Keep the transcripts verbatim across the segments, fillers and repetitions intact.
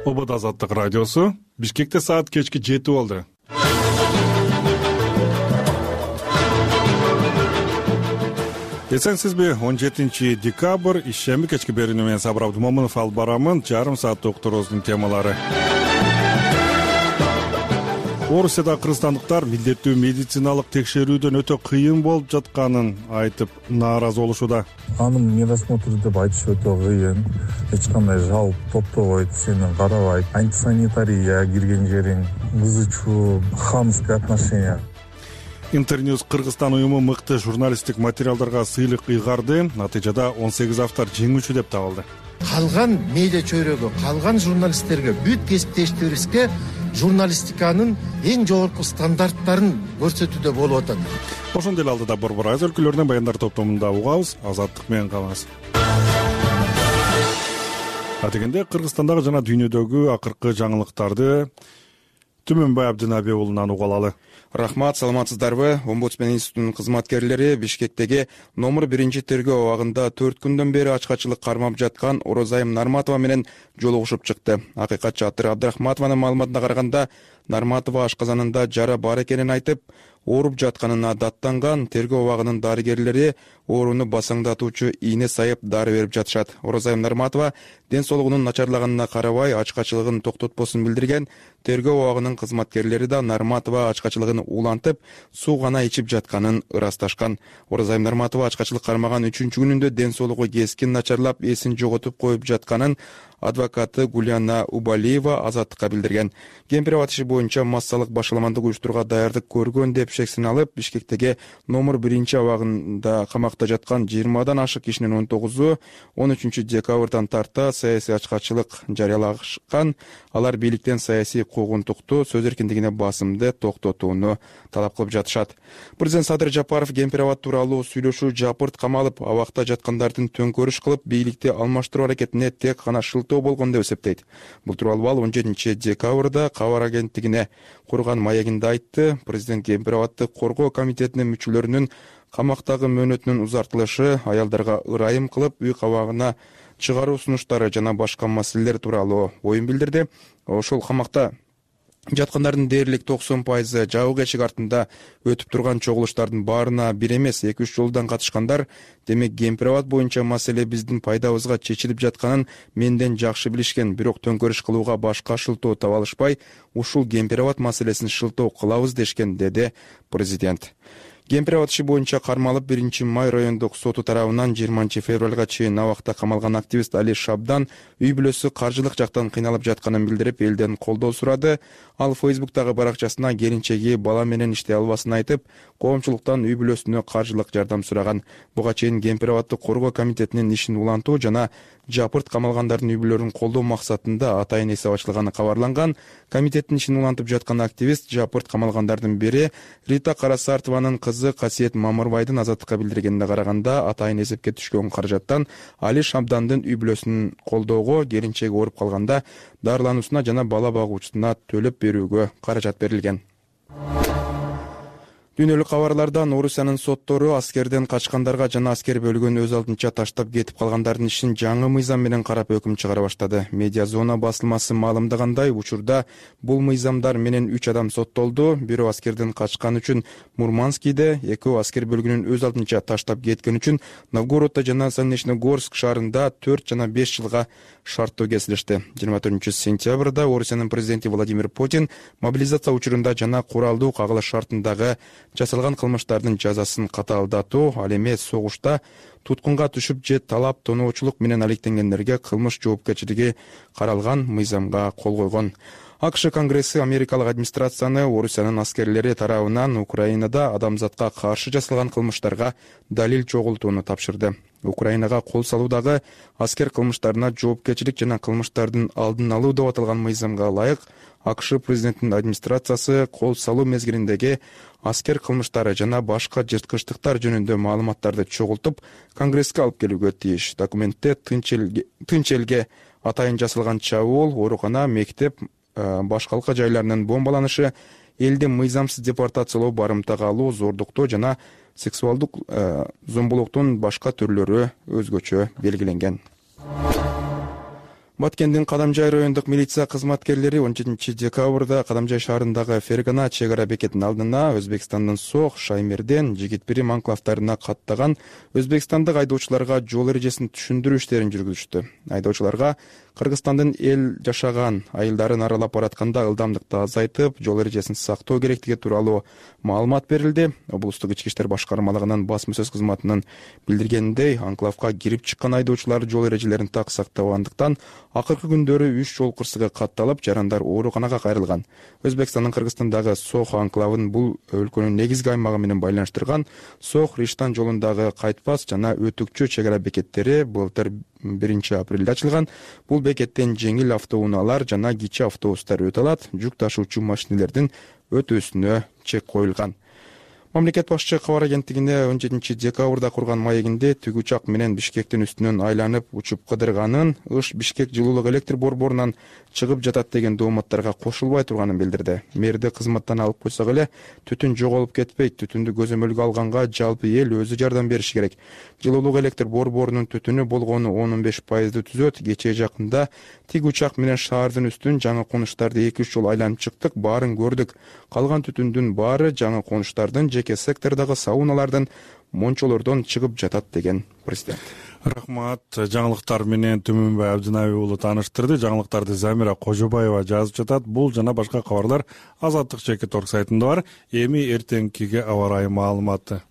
Обод Азаттык радиосу. Бишкекте саат кечки жети болду. Эсенсизби? он жетинчи декабрь ишемби кечки берүүнү менен Сабыр Абдумомунов алып барамын. Жарым сааттык уктуруубуздун темалары. Орусияда кыргызстандыктар милдеттүү медициналык текшерүүдөн өтө кыйын болуп жатканын айтып нааразы болушууда. Анын медосмотр деп айтыш өтө кыйын. Эч кандай жалп топтобойт, сени карабайт. Антисанитария кирген жериң, ызычуу, хамское отношение. Интерньюз Кыргызстан уюму мыкты журналисттик материалдарга сыйлык ыйгарды. Натыйжада он сегиз автор жеңүүчү деп табылды. Калган медиа чөйрөгө, калган журналисттерге, бүт кесиптештерибизге журналистиканын эң жогорку стандарттарын көрсөтүүдө болуп атат. Ошондой эле алдыда Борбор Айыз өлкөлөрүнөн баяндар топтомунда угабыз. Азаттык менен калыңыз. Атегенде Кыргызстандагы жана дүйнөдөгү акыркы жаңылыктарды Түмөнбай Абдынаби уулунан уга алалы. Рахмат, саламатсыздарбы? Омбудсмен институтунун кызматкерлери Бишкектеги номер биринчи тергөө абагында төрт күндөн бери ачкачылык кармап жаткан Орозайым Нарматова менен жолугушуп чыкты. Акыйкатчы Атыр Абдрахматованын маалыматына караганда, Нарматова ашказанында жара бар экенин айтып, ооруп жатканына даттанган. Тергөө абагынын дарыгерлери ооруну басаңдатуучу ийне сайып дары берип жатышат. Орозайым Нарматова ден соолугунун начарлаганына карабай ачкачылыгын токтотпосун билдирген. Тергөө абагынын кызматкерлери да Нарматова ачкачылыгын улантып, суу гана ичип жатканын ырасташкан. Орозайым Нарматова ачкачылык кармаган үчүнчү күнүндө ден соолугу кескин начарлап, эсин жоготуп коюп жатканын адвокаты Гулияна Убалиева Азаттыкка билдирген. Кемпирабад иши боюнча массалык башаламандык уюштурууга даярдык көргөн деп шексин алып, Бишкектеги номер биринчи абагында камакта жаткан жыйырмадан ашык кишинин он тогузу он үчүнчү декабрдан тарта саясий ачкачылык жарыялаган. Алар бийликтен саясий куугунтукту, сөз эркиндигине басымды токтотууну талап кылып жатышат. Президент Садыр Жапаров Кемпирабад тууралуу сүйлөшүү жапырт камалып, абакта жаткандардын төңкөрүш кылып, бийликти алмаштыруу аракетине тек гана шылтоо болгон деп эсептейт. Бул тууралуу ал он жетинчи декабрда кабар агенттигине курган маегинде айтты. Президент Кемпирабадды коргоо комитетинин мүчөлөрүнүн камактагы мөөнөтүнүн узартылышы, аялдарга ырайым кылып үй кабагына чыгаруу сунуштары жана башка маселелер тууралуу оюн билдирди. Ошол камакта жаткандардын дээрлик токсон пайызы жабык эшик артында өтүп турган чогулуштардын баарына бир эмес эки үч жолдон катышкандар. Демек Кемпирабад боюнча маселе биздин пайдабызга чечилип жатканын менден жакшы билишкен, бирок төңкөрүш кылууга башка шылтоо таба алышпай, ушул Кемпирабад маселесин шылтоо кылабыз дешкен, деди президент. Кемпирабад иши боюнча кармалып биринчи май райондук соту тарабынан жыйырманчы февралга чейин абакта камалган активист Али Шабдан үй бүлөсү каржылык жактан кыйналып жатканын билдирип, элден колдоо сурады. Ал Фейсбуктагы баракчасына келинчеги бала менен иштей албасын айтып, коомчулуктан үй бүлөсүнө каржылык жардам сураган. Буга чейин Кемпирабадды коргоо комитетинин ишин улантуу жана жапырт камалгандардын үй бүлөлөрүн колдоо максатында атайын эсеп ачылганы кабарланган. Комитеттин ишин улантып жаткан активист жапырт камалгандардын бири Рита Карасартованын кызы Касиет Мамырбайдын Азаттыкка билдиргенине караганда, атайын эсепке түшкөн каражаттан Али Шабдандын үй бүлөсүн колдоого, келинчеги ооруп калганда дарылануусуна жана бала багуучусуна төлөп берүүгө каражат берилген. Дүйнөлүк кабарлардан Орусиянын соттору аскерден качкандарга жана аскер бөлүгүн өз алдынча таштап кетип калгандардын ишин жаңы мыйзам менен карап өкүм чыгара баштады. Медиа зона басылмасы маалымдагандай, учурда бул мыйзамдар менен үч адам соттолду. Бирөө аскерден качкан үчүн Мурманскийде, экөө аскер бөлүгүнүн өз алдынча таштап кеткен үчүн Новгороддо жана Солнечногорск шаарында төрт жана беш жылга шарттуу кесилишти. жыйырма төртүнчү сентябрда Орусиянын президенти Владимир Путин мобилизация учурунда жана куралдуу кагылыш шартындагы жасалган кылмыштардын жазасын катаалдатуу, ал эми согушта туткунга түшүп же талап тоноочулук менен алектенгендерге кылмыш жоопкерчилиги каралган мыйзамга кол койгон. АКШ Конгресси америкалык администрацияны Орусиянын аскерлери тарабынан Украинада адамзатка каршы жасалган кылмыштарга далил чогултууну тапшырды. Украинага кол салуудагы аскер кылмыштарына жоопкерчилик жана кылмыштардын алдын алуу деп аталган мыйзамга ылайык АКШ президентинин администрациясы кол салуу мезгилиндеги аскер кылмыштары жана башка жырткычтыктар жөнүндө маалыматтарды чогултуп, Конгресске алып келүүгө тийиш. Документте тынч элге атайын жасалган чабуул, оорукана, мектеп, башкалка жайларынын бомбаланышы, элди мыйзамсыз депортациялоо, барымтага алуу, зордуктоо жана сексуалдык зомбулуктун башка түрлөрү өзгөчө белгиленген. Баткендин Кадамжай райондук милиция кызматкерлери он жетинчи декабрда Кадамжай шаарындагы Фергана чек ара бекетинин алдына Өзбекстандын Сох, Шаймерден, Жигитбирим анклавтарына каттаган өзбекстандык айдоочуларга жол эрежесин түшүндүрүү иштерин жүргүзүштү. Айдоочуларга Кыргызстандын эл жашаган айылдарын аралап баратканда ылдамдыкты азайтып, жол эрежесин сактоо керектиги тууралуу маалымат берилди. Облустук ички иштер башкармалыгынын басма сөз кызматынын билдиргенинде, анклавга кирип чыккан айдоочулар жол эрежелерин так сактабагандыктан акыркы күндөрү үч жол кырсыгы катталып, жарандар ооруканага кайрылган. Өзбекстандын Кыргызстандагы Сох анклавын бул өлкөнүн негизги аймагы менен байланыштырган Сох-Риштан жолундагы кайтпас жана өтүкчү чек ара бекеттери былтыр биринчи апрелде ачылган. Бул бекеттен жеңил автоунаалар жана кичи автобустар өтө алат, жүк ташуучу машинелердин өтүүсүнө чек коюлган. Мамлекет башчы кабар агенттигине он жетинчи декабрда курган маегинде тик учак менен Бишкектин үстүнөн айланып учуп кыдырганын, ыш Бишкек жылуулук электр борборунан чыгып жатат деген дооматтарга кошулбай турганын билдирди. Мэрди кызматтан алып койсок эле түтүн жоголуп кетпейт, түтүндү көзөмөлгө алганга жалпы эл өзү жардам бериши керек. Жылуулук электр борборунун түтүнү болгону он он беш пайызды түзөт. Кечээ жакында тик учак менен шаардын үстүн жаңы конуштарды эки үч жолу айланып чыктык, баарын көрдүк. Калган түтүндүн баары жаңы конуштардын жеке сектордагы сауналардын мончолордон чыгып жатат деген президент. Рахмат. Жаңылыктар менен Түмөнбай Абдинаби уулу тааныштырды. Жаңылыктарды Замира Кожобаева жазып жатат. Бул жана башка кабарлар Азаттык чекит точка орг сайтында бар. Эми эртеңкиге аба ырайы маалыматы.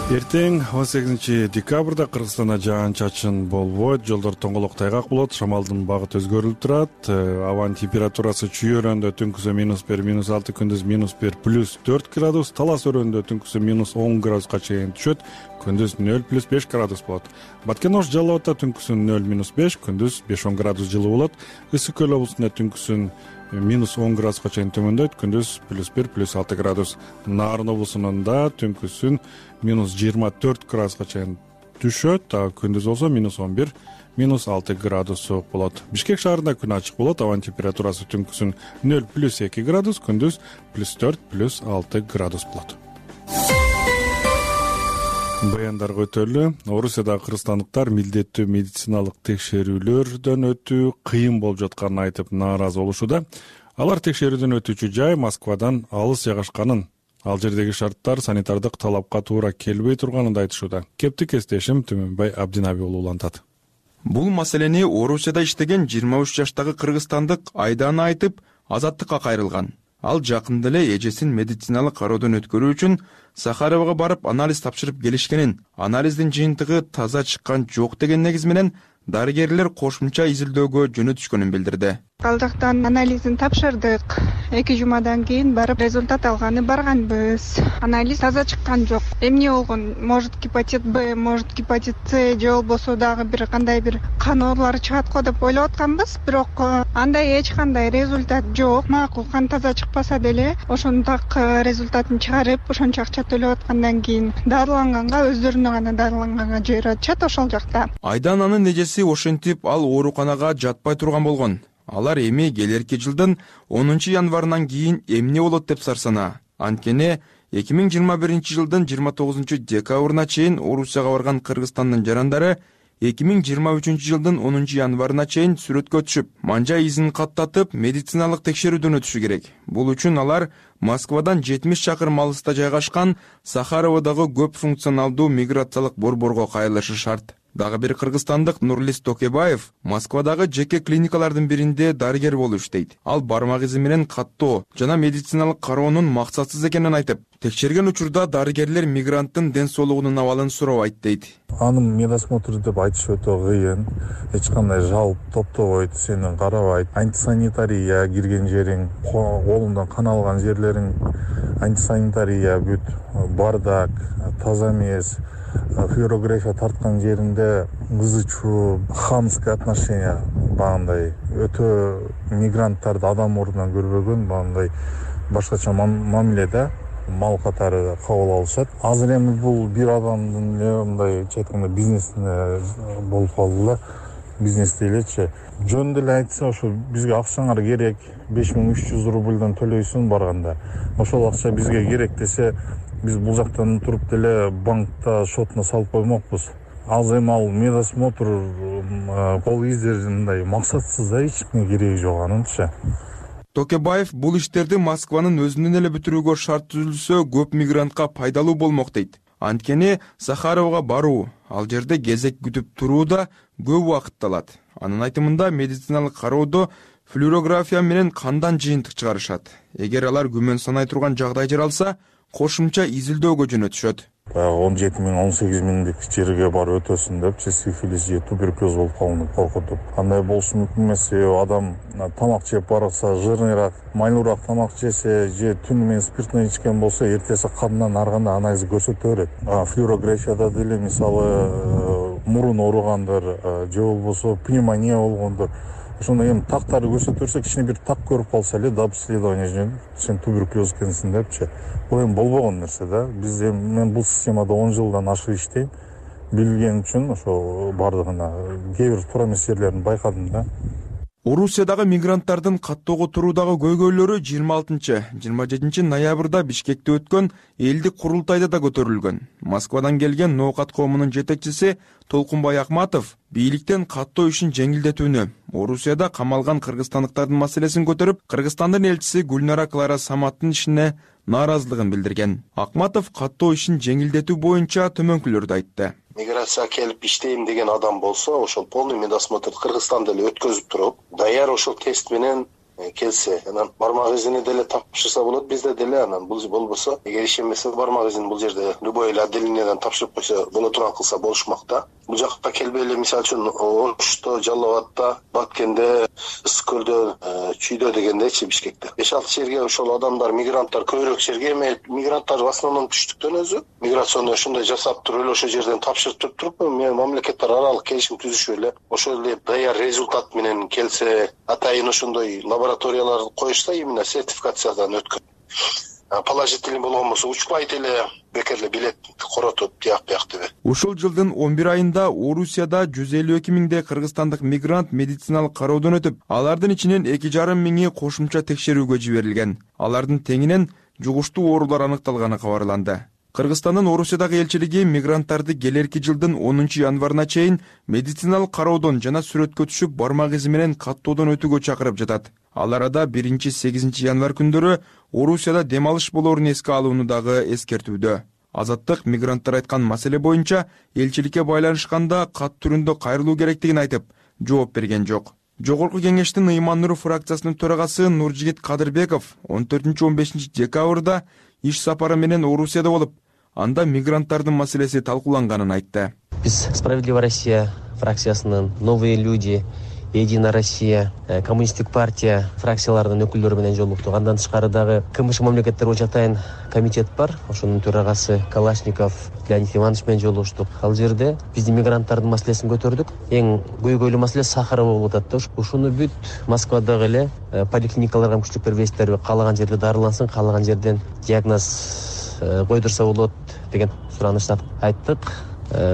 Эртең он сегизинчи декабрда Кыргызстанда жаан-чачын болбойт, жолдор тоңголок тайгак болот, шамалдын багыты өзгөрүлүп турат. Абанын температурасы чүй өрөөндө түнкүсү минус бир, минус алты, күндүз минус бир, плюс төрт градус, Талас өрөөндө түнкүсү минус он градуска чейин түшөт, күндүз нөл плюс беш градус болот. Баткен Ош Жалал Абадта түнкүсү нөл минус беш, күндүз беш он градус жылуу болот. Ысык Көл облусунда түнкүсүн минус он градуска чейин төмөндөйт, күндүз плюс бир, плюс алты градус. Нарын облусунда түнкүсүн минус жыйырма төрт градуска чейин түшөт, а күндүз болсо минус он бир, минус алты градус суук болот. Бишкек шаарында күн ачык болот, абанын температурасы түнкүсүн нөл плюс эки градус, күндүз плюс төрт, плюс алты градус болот. Баяндарга өтөлү. Орусияда кыргызстандыктар милдеттүү медициналык текшерүүлөрдөн өтүү кыйын болуп жатканын айтып нааразы болушууда. Алар текшерүүдөн өтүүчү жай Москвадан алыс жайгашканын, ал жердеги шарттар санитардык талапка туура келбей турганын да айтышууда. Кептик эстешим Түмөнбай Абдинаби уулу улантат. Бул маселени Орусияда иштеген жыйырма үч жаштагы кыргызстандык Айдана айтып, Азаттыкка кайрылган. Ал жакында эле эжесин медициналык кароодон өткөрүү үчүн Сахаровага барып анализ тапшырып келишкенин, анализдин жыйынтыгы таза чыккан жок деген негиз менен дарыгерлер кошумча изилдөөгө жөнөтүшкөнүн билдирди. Ал жактан анализин тапшырдык. эки жумадан кийин барып результат алганы барганбыз. Анализ таза чыккан жок. Эмне болгон? Может гепатит Б, может гепатит С, же болбосо дагы бир кандай бир кан оорулары чыгат го деп ойлоп атканбыз, бирок андай эч кандай результат жок. Макул, кан таза чыкпаса деле ошондак результатын чыгарып, ошончо акча төлөп аткандан кийин дарыланганга, өздөрүнө гана дарыланганга жиберип атышат ошол жакта. Айдананын эжеси ошентип ал ооруканага жатпай турган болгон. Алар эми келерки жылдын онунчу январынан кийин эмне болот деп сарсана. Анткени эки миң жыйырма биринчи жылдын жыйырма тогузунчу декабрына чейин Орусияга барган Кыргызстандын жарандары эки миң жыйырма үчүнчү жылдын онунчу январына чейин сүрөткө түшүп, манжа изин каттатып, медициналык текшерүүдөн өтүшү керек. Бул үчүн алар Москвадан жетимиш чакырым алыста жайгашкан Сахароводагы көп функционалдуу миграциялык борборго кайрылышы шарт. Дагы бир кыргызстандык Нурлис Токебаев Москвадагы жеке клиникалардын биринде дарыгер болуп иштейт. Ал бармак изи менен каттоо жана медициналык кароонун максатсыз экенин айтып, текшерген учурда дарыгерлер мигранттын ден соолугунун абалын сурабайт дейт. Анын медосмотру деп айтыш өтө кыйын. Эч кандай жалп топтобойт, сени карабайт. Антисанитария кирген жериң, колуңдан кан алган жерлериң антисанитария бүт, бардак, таза эмес. Флюорография тарткан жеринде кызы чуу, хамское отношение, багындай өтө мигранттарды адам ордунан көрбөгөн, багындай башкача мамиледе мал катары кабыл алышат. Азыр эми бул бир адамдын эле мындай айтканда бизнесине болуп калды эле, бизнес дейлечи. Жөн деле айтса, ошо бизге акчаңар керек, беш миң үч жүз рубльден төлөйсүң барганда. Ошол акча бизге керек десе, биз бул жактан туруп деле банкта шотуна салып коймокпуз. ал эми ал медосмотр кол издери мындай максатсыз да, эчкине кереги жок анынчы. Токебаев бул иштерди Москванын өзүнөн эле бүтүрүүгө шарт түзүлсө көп мигрантка пайдалуу болмок дейт. Анткени Сахаровго баруу, ал жерде кезек күтүп туруу да көп убакытты алат. Анын айтымында медициналык кароодо флюорография менен кандан жыйынтык чыгарышат. Эгер алар күмөн санай турган жагдай жаралса, кошумча изилдөөгө жөнөтүшөт. он жети миң он сегиз миңдик жерге барып өтөсүн депчи, сифилис же туберкулез болуп калган деп коркутуп. Кандай болушу мүмкүн эмес, адам тамак жеп барса, жырныйраак, майлуураак тамак жесе же түнү менен спиртный ичкен болсо, эртеси кандан арганда анализ көрсөтө берет. Флюорографияда деле мисалы мурун ооругандыр же болбосо пневмония болгондор, ошондо эми тактарды көрсөтө берсе, кичине бир так көрүп калса эле дап исследование жүрүп, сен туберкулез экенсиң депчи. Бул эми болбогон нерсе да. Биз эми мен бул системада он жылдан ашык иштейм. Билген үчүн ошо бардыгына кээ бир туура эмес жерлерин байкадым да. Орусиядагы мигранттардын каттоого туруудагы көйгөйлөрү жыйырма алтынчы жыйырма жетинчи ноябрда Бишкекте өткөн элдик курултайда да көтөрүлгөн. Москвадан келген ноокат коомунун жетекчиси Толкунбай Акматов бийликтен каттоо ишин жеңилдетүүнү, Орусияда камалган кыргызстандыктардын маселесин көтөрүп, Кыргызстандын элчиси Гүлнара Клара Саматтын ишине нааразылыгын билдирген. Акматов каттоо ишин жеңилдетүү боюнча төмөнкүлөрдү айтты. Миграция келип иштейм деген адам болсо, ошол полный медосмотр Кыргызстанда эле өткөзүп туруп, даяр ошол тест менен келсе, анан бармак изини деле тапшырса болот, бизде деле анан бул болбосо, эгер ишенбесе бармак изин бул жерде любой эле отделениеден тапшырып койсо боло турган кылса болушмак да. Бул жакка келбей эле мисалы үчүн Ошто, Жалал Абадта, Баткенде, Ысык көлдө, Чүйдө дегендечи Бишкекте. беш алты жерге ошол адамдар, мигранттар көбүрөөк жерге эме мигранттар в основном түштүктөн өзү миграционный ошондой жасап туруп эле ошол жерден тапшыртып туруп, мамлекеттер аралык келишим түзүшүп эле ошол эле даяр результат менен келсе, атайын ошондой лабораториялар коюшса, именно сертификациядан өткөн. Положительный болгон болсо учпайт эле, бекер эле билет коротуп тияк бияк деп. Ушул жылдын он бир айында Орусияда жүз элүү эки миңдей кыргызстандык мигрант медициналык кароодон өтүп, алардын ичинен эки жарым миңи кошумча текшерүүгө жиберилген. Алардын теңинен жугуштуу оорулар аныкталганы кабарланды. Кыргызстандын Орусиядагы элчилиги мигранттарды келерки жылдын онунчу январына чейин медициналык кароодон жана сүрөткө түшүп бармак изи менен каттоодон өтүүгө чакырып жатат. Ал арада биринчи сегизинчи январ күндөрү Орусияда дем алыш болоорун эске алууну дагы эскертүүдө. Азаттык мигранттар айткан маселе боюнча элчиликке байланышканда кат түрүндө кайрылуу керектигин айтып, жооп берген жок. Жогорку кеңештин Ыйман Нур фракциясынын төрагасы Нуржигит Кадырбеков он төртүнчү он бешинчи декабрда иш сапары менен Орусияда болуп, анда мигранттардын маселеси талкууланганын айтты. Биз Справедливая Россия фракциясынын, Новые люди, Единая Россия, Коммунисттик партия фракцияларынын өкүлдөрү менен жолуктук. Андан тышкары дагы КМШ мамлекеттер боюнча атайын комитет бар. Ошонун төрагасы Калашников Леонид Иванович менен жолугуштук. Ал жерде биздин мигранттардын маселесин көтөрдүк. Эң көйгөйлүү маселе Сахарова болуп атат да. Ушуну бүт Москвадагы эле поликлиникаларга мүмкүнчүлүк бербейсиздерби? Каалаган жерде дарылансын, каалаган жерден диагноз койдурса болот деген суранышты айттык.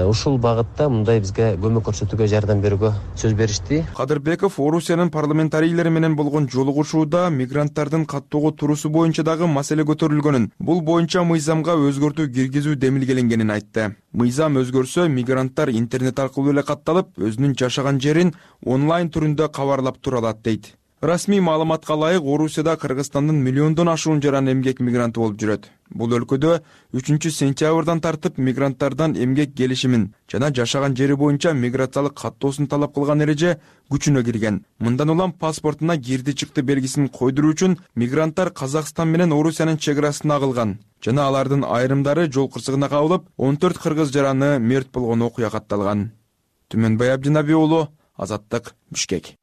Ушул багытта мындай бизге көмөк көрсөтүүгө, жардам берүүгө сөз беришти. Кадырбеков Орусиянын парламентарийлери менен болгон жолугушууда мигранттардын каттоого туруусу боюнча дагы маселе көтөрүлгөнүн, бул боюнча мыйзамга өзгөртүү киргизүү демилгеленгенин айтты. Мыйзам өзгөрсө, мигранттар интернет аркылуу эле катталып, өзүнүн жашаган жерин онлайн түрүндө кабарлап тура алат дейт. Расмий маалыматка ылайык Орусияда Кыргызстандын миллиондон ашуун жаран эмгек мигранты болуп жүрөт. Бул өлкөдө үчүнчү сентябрдан тартып мигранттардан эмгек келишимин жана жашаган жери боюнча миграциялык каттоосун талап кылган эреже күчүнө кирген. Мындан улам паспортуна кирди чыкты белгисин койдуруу үчүн мигранттар Казакстан менен Орусиянын чек арасына агылган жана алардын айрымдары жол кырсыгына кабылып, он төрт кыргыз жараны мерт болгон окуя катталган. Түмөнбай Абдинаби уулу, Азаттык, Бишкек.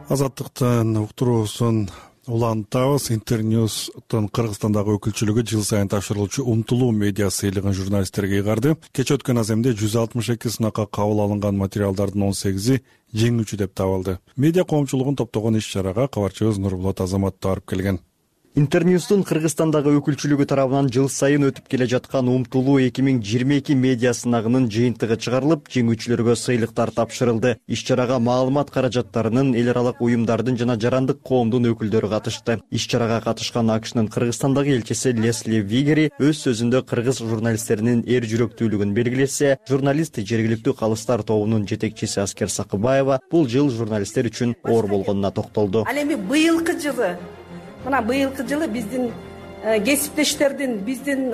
Азаттыктын уктуруусун улантабыз. Интерньюстун Кыргызстандагы өкүлчүлүгү жыл сайын тапшырылчу Умтулуу медиа сыйлыгын журналисттерге ыйгарды. Кечээ өткөн аземде жүз алтымыш эки сынакка кабыл алынган материалдардын он сегизи жеңүүчү деп табылды. Медиа коомчулугун топтогон иш-чарага кабарчыбыз Нурбулат Азаматов барып келген. Интерньюстун Кыргызстандагы өкүлчүлүгү тарабынан жыл сайын өтүп келе жаткан Умтулуу эки миң жыйырма эки медиа сынагынын жыйынтыгы чыгарылып, жеңүүчүлөргө сыйлыктар тапшырылды. Иш-чарага маалымат каражаттарынын, эл аралык уюмдардын жана жарандык коомдун өкүлдөрү катышты. Иш-чарага катышкан АКШнын Кыргызстандагы элчиси Лесли Вигери өз сөзүндө кыргыз журналисттеринин эр жүрөктүүлүгүн белгилесе, журналист жергиликтүү калыстар тобунун жетекчиси Аскер Сакыбаева бул жыл журналисттер үчүн оор болгонуна токтолду. Ал эми быйылкы жылы Мына быйылкы жылы биздин кесиптештердин, биздин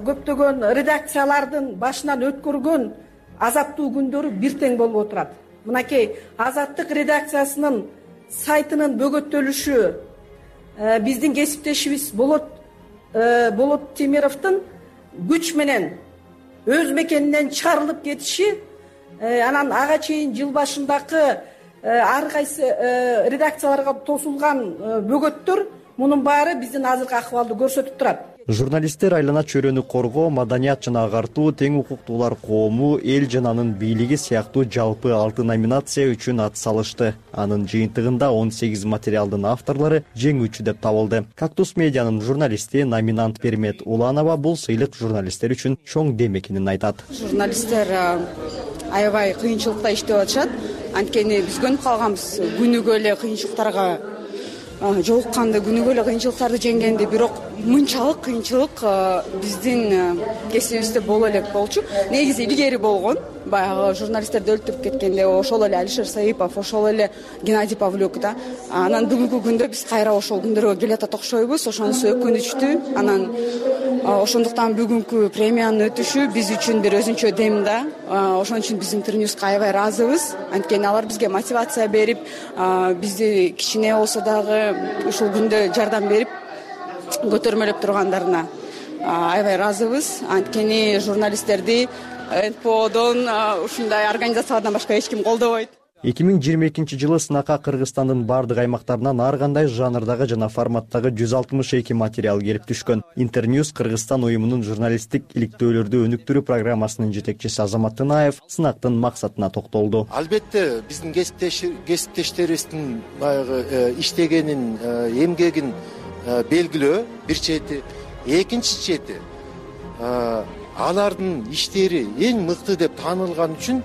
көптөгөн редакциялардын башынан өткөргөн азаптуу күндөрү бир тең болуп отурат. Мынакей Азаттык редакциясынын сайтынын бөгөттөлүшү, биздин кесиптешибиз Болот Болот Темировдун күч менен өз мекенинен чыгарылып кетиши, анан ага чейин жыл башындагы ар кайсы редакцияларга тосулган бөгөттөр, мунун баары биздин азыркы акыбалды көрсөтүп турат. Журналисттер айлана чөйрөнү коргоо, маданият жана агартуу, тең укуктуулар коому, эл жана анын бийлиги сыяктуу жалпы алты номинация үчүн ат салышты. Анын жыйынтыгында он сегиз материалдын авторлору жеңүүчү деп табылды. Кактус медианын журналисти, номинант Пермет Уланова бул сыйлык журналисттер үчүн чоң дем экенин айтат. Журналисттер аябай кыйынчылыкта иштеп атышат. Анткени биз көнүп калганбыз күнүгө эле кыйынчылыктарга жолукканды, күнүгө эле кыйынчылыктарды жеңгенди, бирок мынчалык кыйынчылык биздин кесибибизде боло элек болчу. Негизи илгери болгон, баягы журналисттерди өлтүрүп кеткенде ошол эле Алишер Саипов, ошол эле Геннадий Павлюк да. Анан бүгүнкү күндө биз кайра ошол күндөргө келатат окшойбуз. Ошонусу өкүнүчтүү. Анан ошондуктан бүгүнкү премиянын өтүшү биз үчүн бир өзүнчө дем да. Ошон үчүн биз Интерньюска аябай ыраазыбыз. Анткени алар бизге мотивация берип, бизди кичине болсо дагы ушул күндө жардам берип көтөрмөлөп тургандарына аябай ыраазыбыз. Анткени журналисттерди эн пэ одон ушундай организациялардан башка эч ким колдобойт. эки миң жыйырма экинчи жылы сынакка Кыргызстандын бардык аймактарынан ар кандай жанрдагы жана форматтагы жүз алтымыш эки материал келип түшкөн. Интерньюс Кыргызстан уюмунун журналисттик иликтөөлөрдү өнүктүрүү программасынын жетекчиси Азамат Тынаев сынактын максатына токтолду. Албетте биздин кесиптештерибиздин баягы иштегенин, эмгегин белгилөө бир чети, экинчи чети алардын иштери эң мыкты деп таанылган үчүн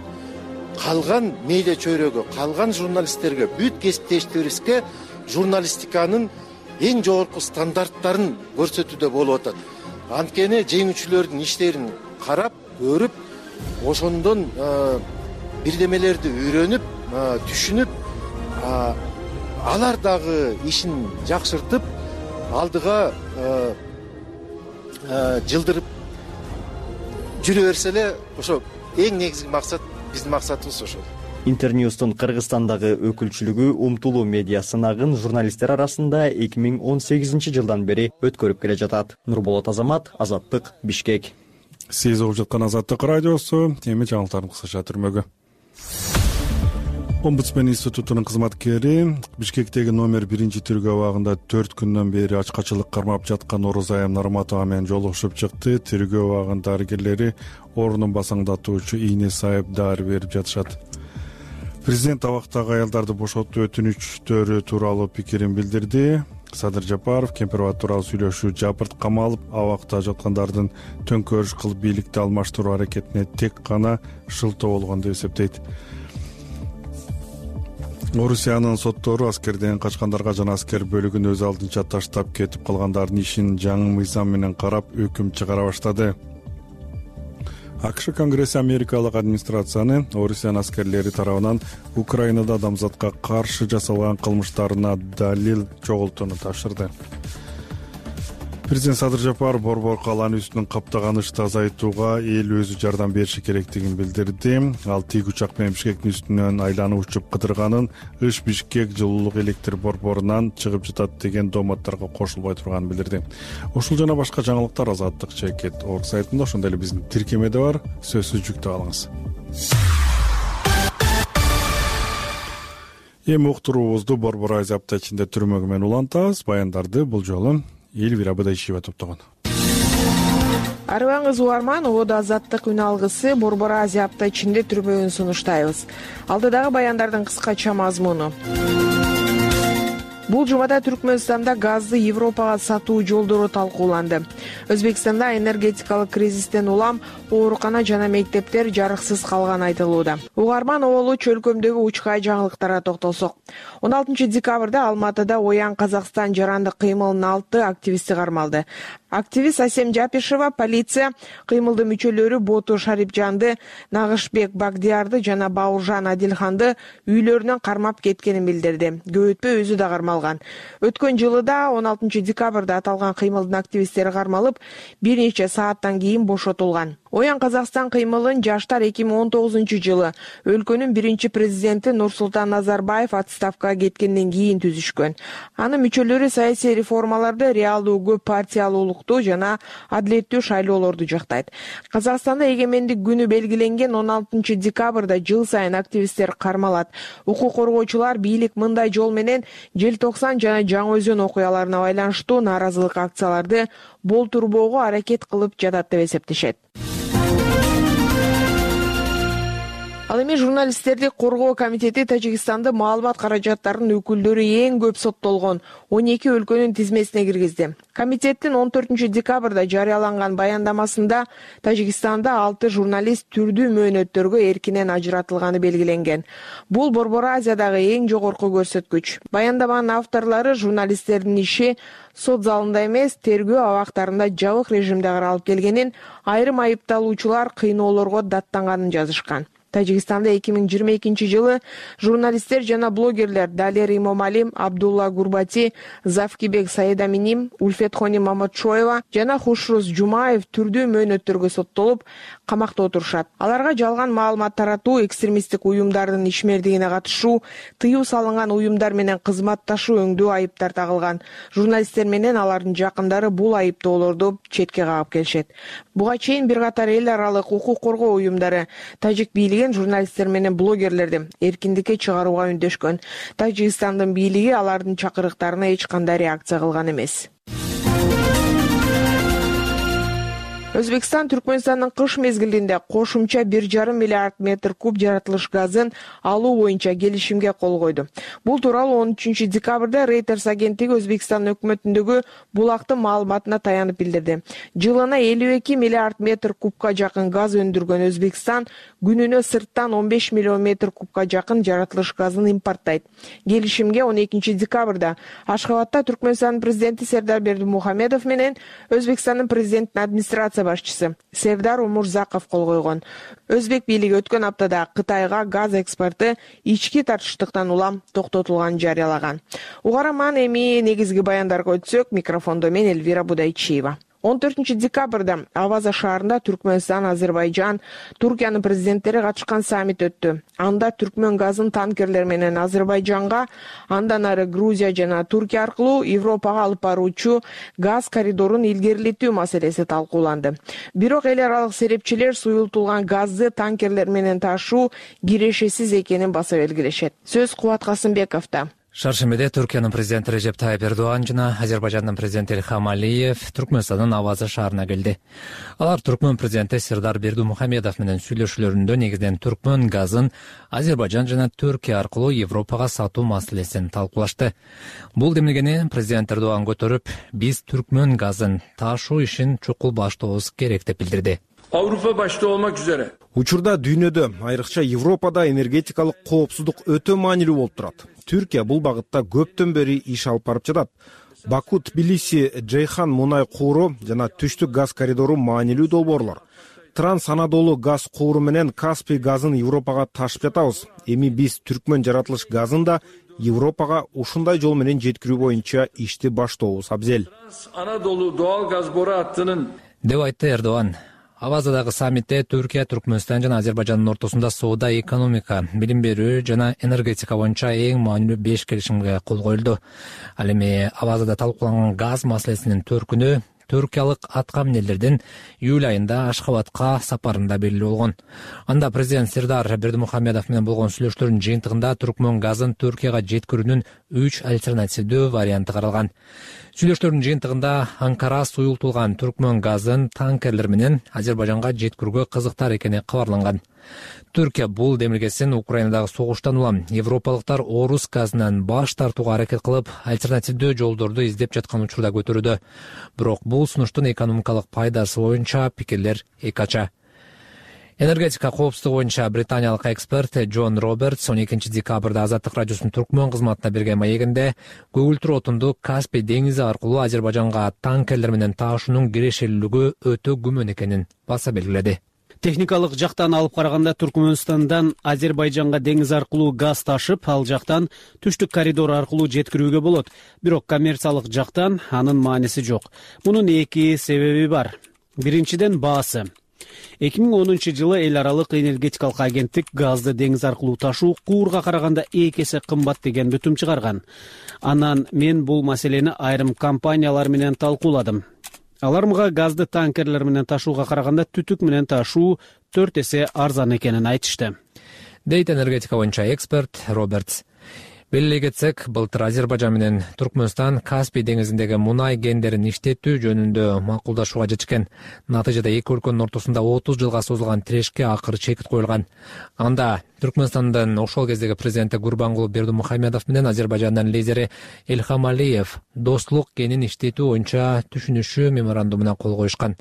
калган медиа чөйрөгө, калган журналисттерге, бүт кесиптештерибизге журналистиканын эң жогорку стандарттарын көрсөтүүдө болуп атат. Анткени жеңүүчүлөрдүн иштерин карап, көрүп, ошондон бирдемелерди үйрөнүп, түшүнүп, алар дагы ишин жакшыртып, алдыга жылдырып жүрө берсе эле, ошо эң негизги максат, биздин максатыбыз ошол. Интерньюстун Кыргызстандагы өкүлчүлүгү Умтулуу медиа сынагын журналисттер арасында эки миң он сегизинчи жылдан бери өткөрүп келе жатат. Нурболот Азамат, Азаттык, Бишкек. Сиз угуп жаткан Азаттык радиосу, эми жаңылыктардын кыскача түрмөгү. Омбудсмен институтунун кызматкери Бишкектеги номер биринчи тергөө абагында төрт күндөн бери ачкачылык кармап жаткан Орозайым Нарматова менен жолугушуп чыкты. Тергөө абагынын дарыгерлери орунун басаңдатуучу ийне сайып дары берип жатышат. Президент абактагы аялдарды бошотуу өтүнүчтөрү тууралуу пикирин билдирди. Садыр Жапаров Кемпирбат тууралуу сүйлөшүү жапырт камалып, абакта жаткандардын төңкөрүш кылып бийликти алмаштыруу аракетине тек гана шылтоо болгон деп эсептейт. Орусиянын соттору аскерден качкандарга жана аскер бөлүгүн өз алдынча таштап кетип калгандардын ишин жаңы мыйзам менен карап өкүм чыгара баштады. АКШ Конгресси америкалык администрацияны Орусиянын аскерлери тарабынан Украинада адамзатка каршы жасалган кылмыштарына далил чогултууну тапшырды. Президент Садыр Жапаров борбор калаанын каптаган ышты азайтууга эл өзү жардам бериши керектигин билдирди. Ал тик учак менен Бишкектин үстүнөн айланып учуп кыдырганын, ыш Бишкек жылуулук электр борборунан чыгып жатат деген дооматтарга кошулбой турганын билдирди. Ушул жана башка жаңылыктар Азаттык чекит орг сайтында, ошондой эле биздин тиркемеде бар. Сөзсүз жүктөп алыңыз. Эми уктуруубузду Борбор Азия апта ичинде түрмөгү менен улантабыз. Баяндарды бул жолу Элвира Бадайшева топтогон. Арыбаңыз угарман, ободо Азаттык үн алгысы Борбор Азия апта ичинде түрмөгүн сунуштайбыз. Алдыдагы баяндардын кыскача мазмуну. Бул жумада Түркмөнстанда газды Европага сатуу жолдору талкууланды. Өзбекстанда энергетикалык кризистен улам оорукана жана мектептер жарыксыз калганы айтылууда. Угарман Оолу чөлкөмдөгү учкай жаңылыктарга токтолсок. он алтынчы декабрда Алматыда Оян Казакстан жарандык кыймылынын алты активисти кармалды. Активист Асем Жапишева полиция кыймылдын мүчөлөрү Боту Шарипжанды, Нагышбек Багдиярды жана Бауыржан Адилханды үйлөрүнөн кармап кеткенин билдирди. Көп өтпөй өзү да кармалган. Өткөн жылы да он алтынчы декабрда аталган кыймылдын активисттери кармалып, бир нече сааттан кийин бошотулган. Оян Казакстан кыймылын жаштар эки миң он тогузунчу жылы өлкөнүн биринчи президенти Нурсултан Назарбаев отставкага кеткенден кийин түзүшкөн. Анын мүчөлөрү саясий реформаларды, реалдуу көп партиялуулукту жана адилеттүү шайлоолорду жактайт. Казакстанда эгемендик күнү белгиленген он алтынчы декабрда жыл сайын активисттер кармалат. Укук коргоочулар бийлик мындай жол менен Желтоксан жана Жаңы Өзөн окуяларына байланыштуу нааразылык акцияларды болтурбоого аракет кылып жатат деп эсептешет. Ал эми журналисттерди коргоо комитети Тажикстанды маалымат каражаттарынын өкүлдөрү эң көп соттолгон он эки өлкөнүн тизмесине киргизди. Комитеттин он төртүнчү декабрда жарыяланган баяндамасында Тажикстанда алты журналист түрдүү мөөнөттөргө эркинен ажыратылганы белгиленген. Бул Борбор Азиядагы эң жогорку көрсөткүч. Баяндаманын авторлору журналисттердин иши сот залында эмес, тергөө абактарында жабык режимде каралып келгенин, айрым айыпталуучулар кыйноолорго даттанганын жазышкан. Тажикстанда эки миң жыйырма экинчи жылы журналисттер жана блогерлер Далер Имомали, Абдулла Гурбати, Завкибек Саидаминим, Ульфетхони Маматшоева жана Хушрус Жумаев түрдүү мөөнөттөргө соттолуп, камакта отурушат. Аларга жалган маалымат таратуу, экстремисттик уюмдардын ишмердигине катышуу, тыюу салынган уюмдар менен кызматташуу өңдүү айыптар тагылган. Журналисттер менен алардын жакындары бул айыптоолорду четке кагып келишет. Буга чейин бир катар эл аралык укук коргоо уюмдары тажик бийлиги журналисттер менен блогерлерди эркиндикке чыгарууга үндөшкөн. Тажикстандын бийлиги алардын чакырыктарына эч кандай реакция кылган эмес. Өзбекстан Түркмөнстандын кыш мезгилинде кошумча бир жарым миллиард метр куб жаратылыш газын алуу боюнча келишимге кол койду. Бул тууралуу он үчүнчү декабрда Reuters агенттиги Өзбекстан өкмөтүндөгү булактын маалыматына таянып билдирди. Жылына элүү эки миллиард метр кубка жакын газ өндүргөн Өзбекстан күнүнө сырттан он беш миллион метр кубка жакын жаратылыш газын импорттайт. Келишимге он экинчи декабрда Ашхабадта Түркмөнстандын президенти Сердар Бердимухамедов менен Өзбекстандын президентинин администрация башчысы Севдар Умурзаков кол койгон. Өзбек бийлиги өткөн аптада Кытайга газ экспорту ички тартыштыктан улам токтотулганын жарыялаган. Угараман эми негизги баяндарга өтсөк, микрофондо мен Эльвира Будайчиева. он төртүнчү декабрда Аваза шаарында Түркмөнстан, Азербайжан, Туркиянын президенттери катышкан саммит өттү. Анда түркмөн газын танкерлер менен Азербайжанга, андан ары Грузия жана Туркия аркылуу Европага алып баруучу газ коридорун илгерилетүү маселеси талкууланды. Бирок эл аралык серепчилер суюлтулган газды танкерлер менен ташуу кирешесиз экенин баса белгилешет. Сөз Кубат Касымбековдо. Шаршембиде Түркиянын президенти Режеп Тайып Эрдоган жана Азербайжандын президенти Илхам Алиев Түркмөнстандын Аваза шаарына келди. Алар түркмөн президенти Сердар Бердимухамедов менен сүйлөшүүлөрүндө негизинен түркмөн газын Азербайжан жана Түркия аркылуу Европага сатуу маселесин талкуулашты. Бул демилгени президент Эрдоган көтөрүп, биз түркмөн газын ташуу ишин чукул баштообуз керек деп билдирди. Avrupa başta olmak üzere. Учурда дүйнөдө, айрыкча Европада энергетикалык коопсуздук өтө маанилүү болуп турат. Түркия бул багытта көптөн бери иш алып барып жатат. Баку, Тбилиси, Джейхан мунай кууру жана түштүк газ коридору маанилүү долбоорлор. Транс-Анадолу газ кууру менен Каспий газын Европага ташып жатабыз. Эми биз түркмөн жаратылыш газын да Европага ушундай жол менен жеткирүү боюнча ишти баштообуз абзел. Trans-Anadolu doğal gaz boru hattının деп айтты Эрдоган. Авазадагы саммитте Түркия, Түркмөнстан жана Азербайжандын ортосунда соода, экономика, билим берүү жана энергетика боюнча эң маанилүү беш келишимге кол коюлду. Ал эми Авазада талкууланган газ маселесинин төркүнү түркиялык аткаминерлердин июль айында Ашхабадка сапарында белгилүү болгон. Анда президент Сердар Бердимухамедов менен болгон сүйлөшүүлөрдүн жыйынтыгында түркмөн газын Түркияга жеткирүүнүн үч альтернативдүү варианты каралган. Сүйлөштөрдүн жыйынтыгында Анкара суюлтулган түркмөн газын танкерлер менен Азербайжанга жеткирүүгө кызыктар экени кабарланган. Түркия бул демилгесин Украинадагы согуштан улам европалыктар орус газынан баш тартууга аракет кылып, альтернативдүү жолдорду издеп жаткан учурда көтөрүүдө. Бирок бул сунуштун экономикалык пайдасы боюнча пикирлер эки ача. Энергетика коопсуздугу боюнча британиялык эксперт Джон Робертс он экинчи декабрда Азаттык радиосунун түркмөн кызматына берген маегинде көгүлтүр отунду Каспий деңизи аркылуу Азербайжанга танкерлер менен таашуунун кирешелүүлүгү өтө күмөн экенин баса белгиледи. Техникалык жактан алып караганда Түркмөнстандан Азербайжанга деңиз аркылуу газ ташып, ал жактан түштүк коридор аркылуу жеткирүүгө болот. Бирок коммерциялык жактан анын мааниси жок. Мунун эки себеби бар. Биринчиден баасы. эки миң онунчу жылы эл аралык энергетикалык агенттик газды деңиз аркылуу ташуу куурга караганда эки эсе кымбат деген бүтүм чыгарган. Анан мен бул маселени айрым компаниялар менен талкууладым. Алар мага газды танкерлер менен ташууга караганда түтүк менен ташуу төрт эсе арзан экенин айтышты. Дейт энергетика боюнча эксперт Робертс. Белгилей кетсек, былтыр Азербайжан менен Түркмөнстан Каспий деңизиндеги мунай кендерин иштетүү жөнүндө макулдашууга жетишкен. Натыйжада эки өлкөнүн ортосунда отуз жылга созулган тирешке акыры чекит коюлган. Анда Түркмөнстандын ошол кездеги президенти Гурбангулы Бердимухамедов менен Азербайжандын лидери Элхам Алиев достук кенин иштетүү боюнча түшүнүшүү меморандумуна кол коюшкан.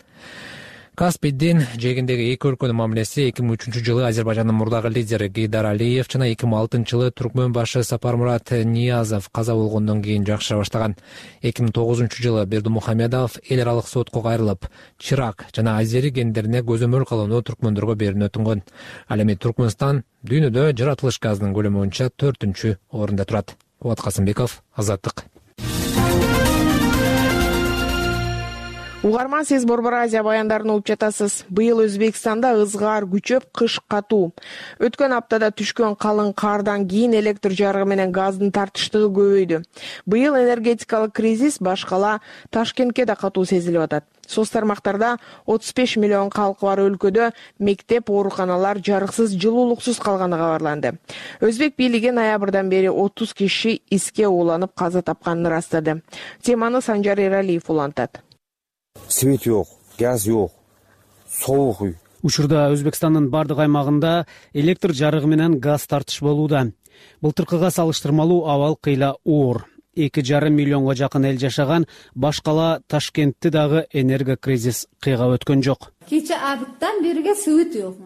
Каспийдин жээгиндеги эки өлкөнүн мамилеси эки миң үчүнчү жылы Азербайжандын мурдагы лидери Гейдар Алиев жана эки миң алтынчы жылы Түркмөн башы Сапармурат Ниязов каза болгондон кийин жакшыра баштаган. эки миң тогузунчу жылы Бердимухамедов эл аралык сотко кайрылып, Чирак жана Азери кендерине көзөмөл кылууну түркмөндөргө берүүнү өтүнгөн. Ал эми Түркмөнстан дүйнөдө жаратылыш газынын көлөмү боюнча төртүнчү орунда турат. Кубат Касымбеков, Азаттык. Угарман, сиз Борбор Азия баяндарын угуп жатасыз. Быйыл Өзбекстанда ызгаар күчөп, кыш катуу. Өткөн аптада түшкөн калың кардан кийин электр жарыгы менен газдын тартыштыгы көбөйдү. Быйыл энергетикалык кризис башкала Ташкентке да катуу сезилип атат. Соц тармактарда отуз беш миллион калкы бар өлкөдө мектеп, ооруканалар жарыксыз, жылуулуксуз калганы кабарланды. Өзбек бийлиги ноябрдан бери отуз киши иске ууланып каза тапканын ырастады. Теманы Санжар Эралиев улантат. Свет жок, газ жок, соок үй. Учурда Өзбекстандын бардык аймагында электр жарыгы менен газ тартыш болууда. Былтыркыга салыштырмалуу абал кыйла оор. эки жарым миллионго жакын эл жашаган башкала Ташкентти дагы энерго кризис кыйгап өткөн жок. Кече абыттан бериге свет жок.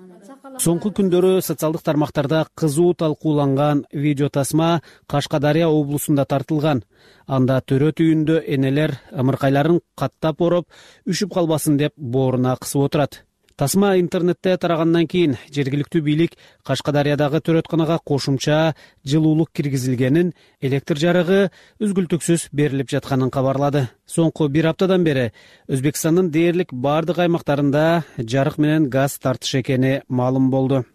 Соңку күндөрү социалдык тармактарда кызуу талкууланган видео тасма Кашкадария облусунда тартылган. Анда төрөт үйүндө энелер ымыркайларын каттап ороп, үшүп калбасын деп бооруна кысып отурат. Тасма интернетте тарагандан кийин жергиликтүү бийлик Кашкадариядагы төрөтканага кошумча жылуулук киргизилгенин, электр жарыгы үзгүлтүксүз берилип жатканын кабарлады. Соңку бир аптадан бери Өзбекстандын дээрлик бардык аймактарында жарык менен газ тартыш экени маалым болду.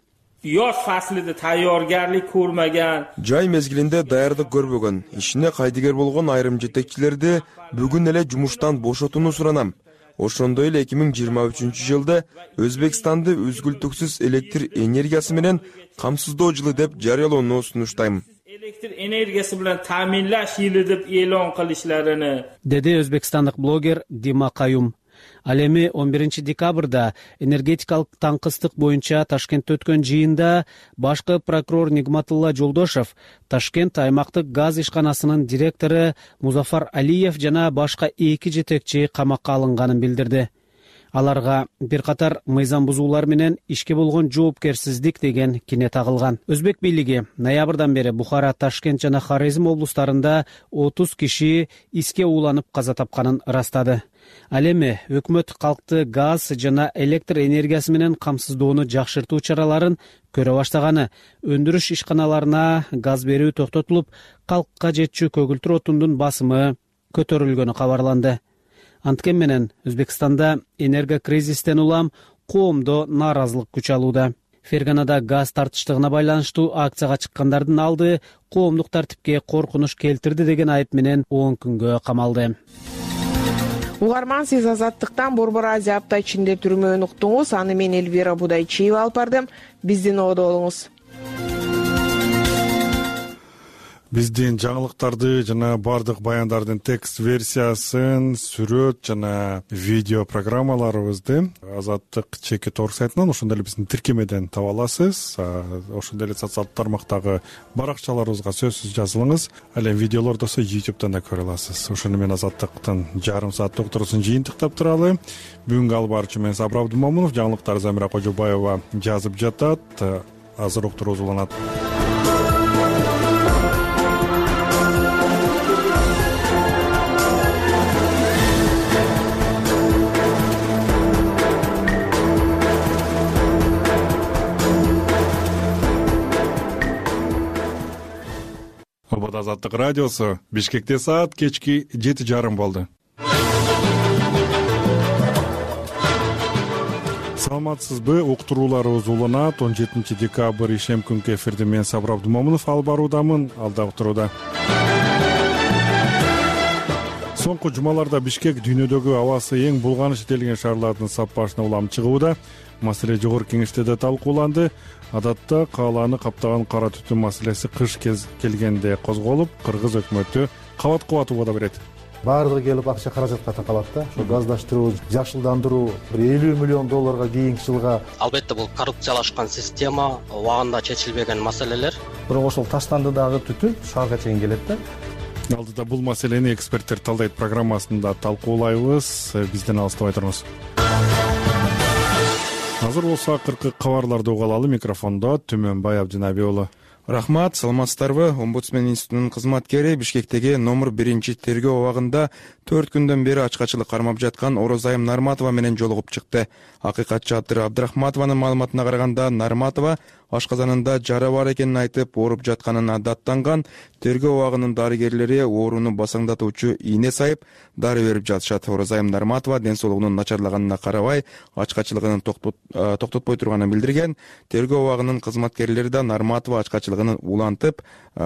Yoz faslida tayyorgarlik ko'rmagan, жай мезгилинде даярдык көрбөгөн, ишине кайдыгер болгон айрым жетекчилерди бүгүн эле жумуштан бошотууну суранам. Ошондой эле эки миң жыйырма үчүнчү жылда Өзбекстанды үзгүлтүксүз электр энергиясы менен камсыздоо жылы деп жарыялоону сунуштайм. Elektr energiyasi bilan ta'minlash yili deb e'lon qilishlarini, dedi Өзбекстандык блогер Дима Каюм. Ал эми он биринчи декабрда энергетикалык таңкыстык боюнча Ташкентте өткөн жыйында башкы прокурор Нигматулла Жолдошев, Ташкент аймактык газ ишканасынын директору Музафар Алиев жана башка эки жетекчи камакка алынганын билдирди. Аларга бир катар мыйзам бузуулар менен ишке болгон жоопкерсиздик деген кине тагылган. Өзбек бийлиги ноябрдан бери Бухара, Ташкент жана Хорезм облустарында отуз киши иске ууланып каза тапканын ырастады. Ал эми өкмөт калкты газ жана электр энергиясы менен камсыздоону жакшыртуу чараларын көрө баштаганы, өндүрүш ишканаларына газ берүү токтотулуп, калкка жетчү көгүлтүр отундун басымы көтөрүлгөнү кабарланды. Анткени менен Өзбекстанда энерго кризистен улам коомдо нааразылык күч алууда. Ферганада газ тартыштыгына байланыштуу акцияга чыккандардын алды коомдук тартипке коркунуч келтирди деген айып менен он күнгө камалды. Угарман, сиз Азаттыктан Борбор Азия апта ичинде түрмөөнү уктуңуз. Аны мен Элвира Будайчиева алып бардым. Биздин ободо болуңуз. Биздин жаңылыктарды жана бардык баяндардын текст версиясын, сүрөт жана видео программаларыбызды Азаттык чеки торг сайтынан, ошондой эле биздин тиркемеден таба аласыз. Ошондой эле социалдык тармактагы баракчаларыбызга сөзсүз жазылыңыз. Ал эми видеолорду болсо ютубтан да көрө аласыз. Ошону менен Азаттыктын жарым саат докторусун жыйынтыктап туралы. Бүгүнкү алып баруучу мен Сабыр Абдымомунов, жаңылыктар Замира Кожобаева жазып жатат. Азыр уктуруу уланат. Обод Азаттык радиосу. Бишкекте саат кечки жети жарым болду. Саламатсызбы? Уктурууларыбыз уланат. он жетинчи декабрь ишем күнкү эфирде мен Сабыр Абдымомунов алып баруудамын. Алда уктурууда. Соңку жумаларда Бишкек дүйнөдөгү абасы эң булганыч этелген шаарлардын саппашына улам чыгууда. Маселе жогорку кеңеште да талкууланды. Адатта кааланы каптаган кара түтүн маселеси кыш келгенде козголуп, кыргыз өкмөтү кабат-кабат убада берет. Баардыгы келип акча каражатка такалат да. Ошо газдаштыруу, жашылдандыруу бир элүү миллион долларга кийинки жылга. Албетте бул коррупциялашкан система, убагында чечилбеген маселелер. Бирок ошол таштанды дагы түтүн шаарга чейин келет да. Алдыда бул маселени эксперттер талдайт программасында талкуулайбыз. Бизден алыстабай туруңуз. Азыр болсо акыркы кабарларды угуп алалы. Микрофондо Түмөнбай Абдинаби уулу. Рахмат, саламатсыздарбы? Омбудсмен институтунун кызматкери Бишкектеги номер биринчи тергөө убагында төрт күндөн бери ачкачылык кармап жаткан Орозайым Нарматова менен жолугуп чыкты. Акыйкат жаатыр Абдрахматованын маалыматына караганда, Нарматова ашказанында жара бар экенин айтып, ооруп жатканына даттанган. Тергөө убагынын дарыгерлери ооруну басаңдатуучу ийне сайып дары берип жатышат. Орозайым Нарматова ден соолугунун начарлаганына карабай, ачкачылыгын токтотпой турганын билдирген. Тергөө убагынын кызматкерлери да Нарматова ачкачылыгын улантып,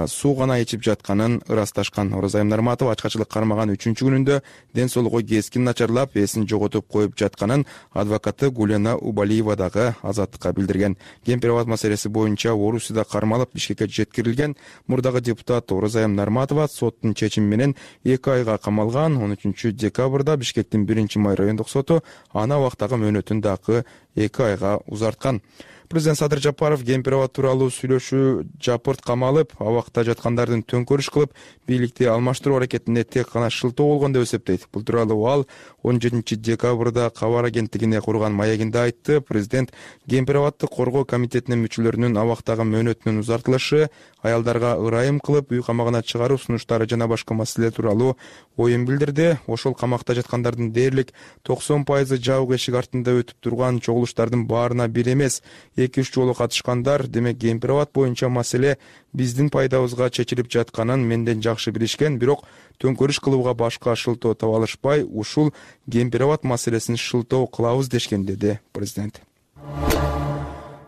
суу гана ичип жатканын ырасташкан. Орозайым Нарматова ачкачылык кармаган үчүнчү күнүндө ден соолугу кескин начарлап, эсин жоготуп коюп жатканын адвокаты Гулена Убалиева дагы Азаттыкка билдирген. Кемпир-абад маселеси боюнча Орусияда кармалып Бишкекке жеткирилген мурдагы депутат Орозайым Нарматова соттун чечими менен эки айга камалган. он үчүнчү декабрда Бишкектин биринчи май райондук соту ана убактагы мөөнөтүн дагы эки айга узарткан. Президент Садыр Жапаров Кемпир-абад тууралуу сүйлөшүү жапырт камалып, абакта жаткандардын төңкөрүш кылып, бийликти алмаштыруу аракетинде тек гана шылтоо болгон деп эсептейт. Бул тууралуу ал он жетинчи декабрда кабар агенттигине курган маегинде айтты. Президент Кемпир-абадты коргоо комитетинин мүчөлөрүнүн абактагы мөөнөтүнүн узартылышы, аялдарга ырайым кылып үй камагына чыгаруу сунуштары жана башка маселе тууралуу оюн билдирди. Ошол камакта жаткандардын дээрлик токсон пайызы жабык эшик артында өтүп турган чогулуштардын баарына бир эмес, эки үч жолу катышкандар. Демек Кемпир-абад боюнча маселе биздин пайдабызга чечилип жатканын менден жакшы билишкен, бирок төңкөрүш кылууга башка шылтоо таба алышпай, ушул Кемпир-абад маселесин шылтоо кылабыз дешкен, деди президент.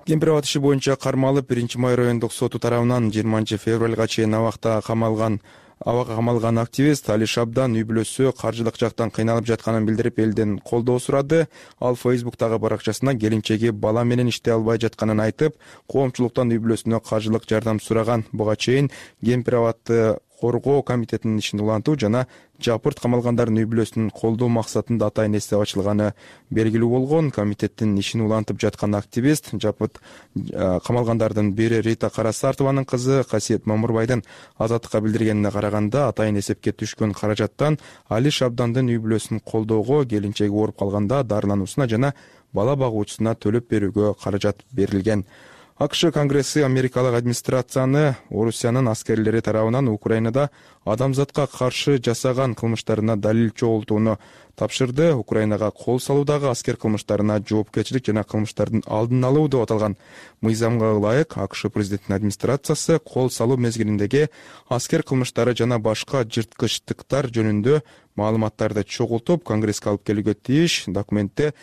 Кемпир-абад иши боюнча кармалып биринчи май райондук соту тарабынан жыйырманчы февралга чейин абакта камалган Абакка камалган активист Али Шабдан үй бүлөсү каржылык жактан кыйналып жатканын билдирип, элден колдоо сурады. Ал Фейсбуктагы баракчасына келинчеги бала менен иштей албай жатканын айтып, коомчулуктан үй бүлөсүнө каржылык жардам сураган. Буга чейин Кемпир-абадты коргоо комитетинин ишин улантуу жана жапырт камалгандардын үй бүлөсүн колдоо максатында атайын эстеп ачылганы белгилүү болгон. Комитеттин ишин улантып жаткан активист жапырт камалгандардын бири Рита Карасартованын кызы Касиет Мамурбайдын Азаттыкка билдиргенине караганда, атайын эсепке түшкөн каражаттан Али Шабдандын үй бүлөсүн колдоого, келинчеги ооруп калганда дарылануусуна жана бала багуучусуна төлөп берүүгө каражат берилген. АКШ Конгресси америкалык администрацияны Орусиянын аскерлери тарабынан Украинада адамзатка каршы жасаган кылмыштарына далил чогултууну тапшырды. Украинага кол салуудагы аскер кылмыштарына жоопкерчилик жана кылмыштардын алдын алуу деп аталган. Мыйзамга ылайык АКШ президентинин администрациясы кол салуу мезгилиндеги аскер кылмыштары жана башка жырткычтыктар жөнүндө маалыматтарды чогултуп Конгресске алып келүүгө тийиш. Документте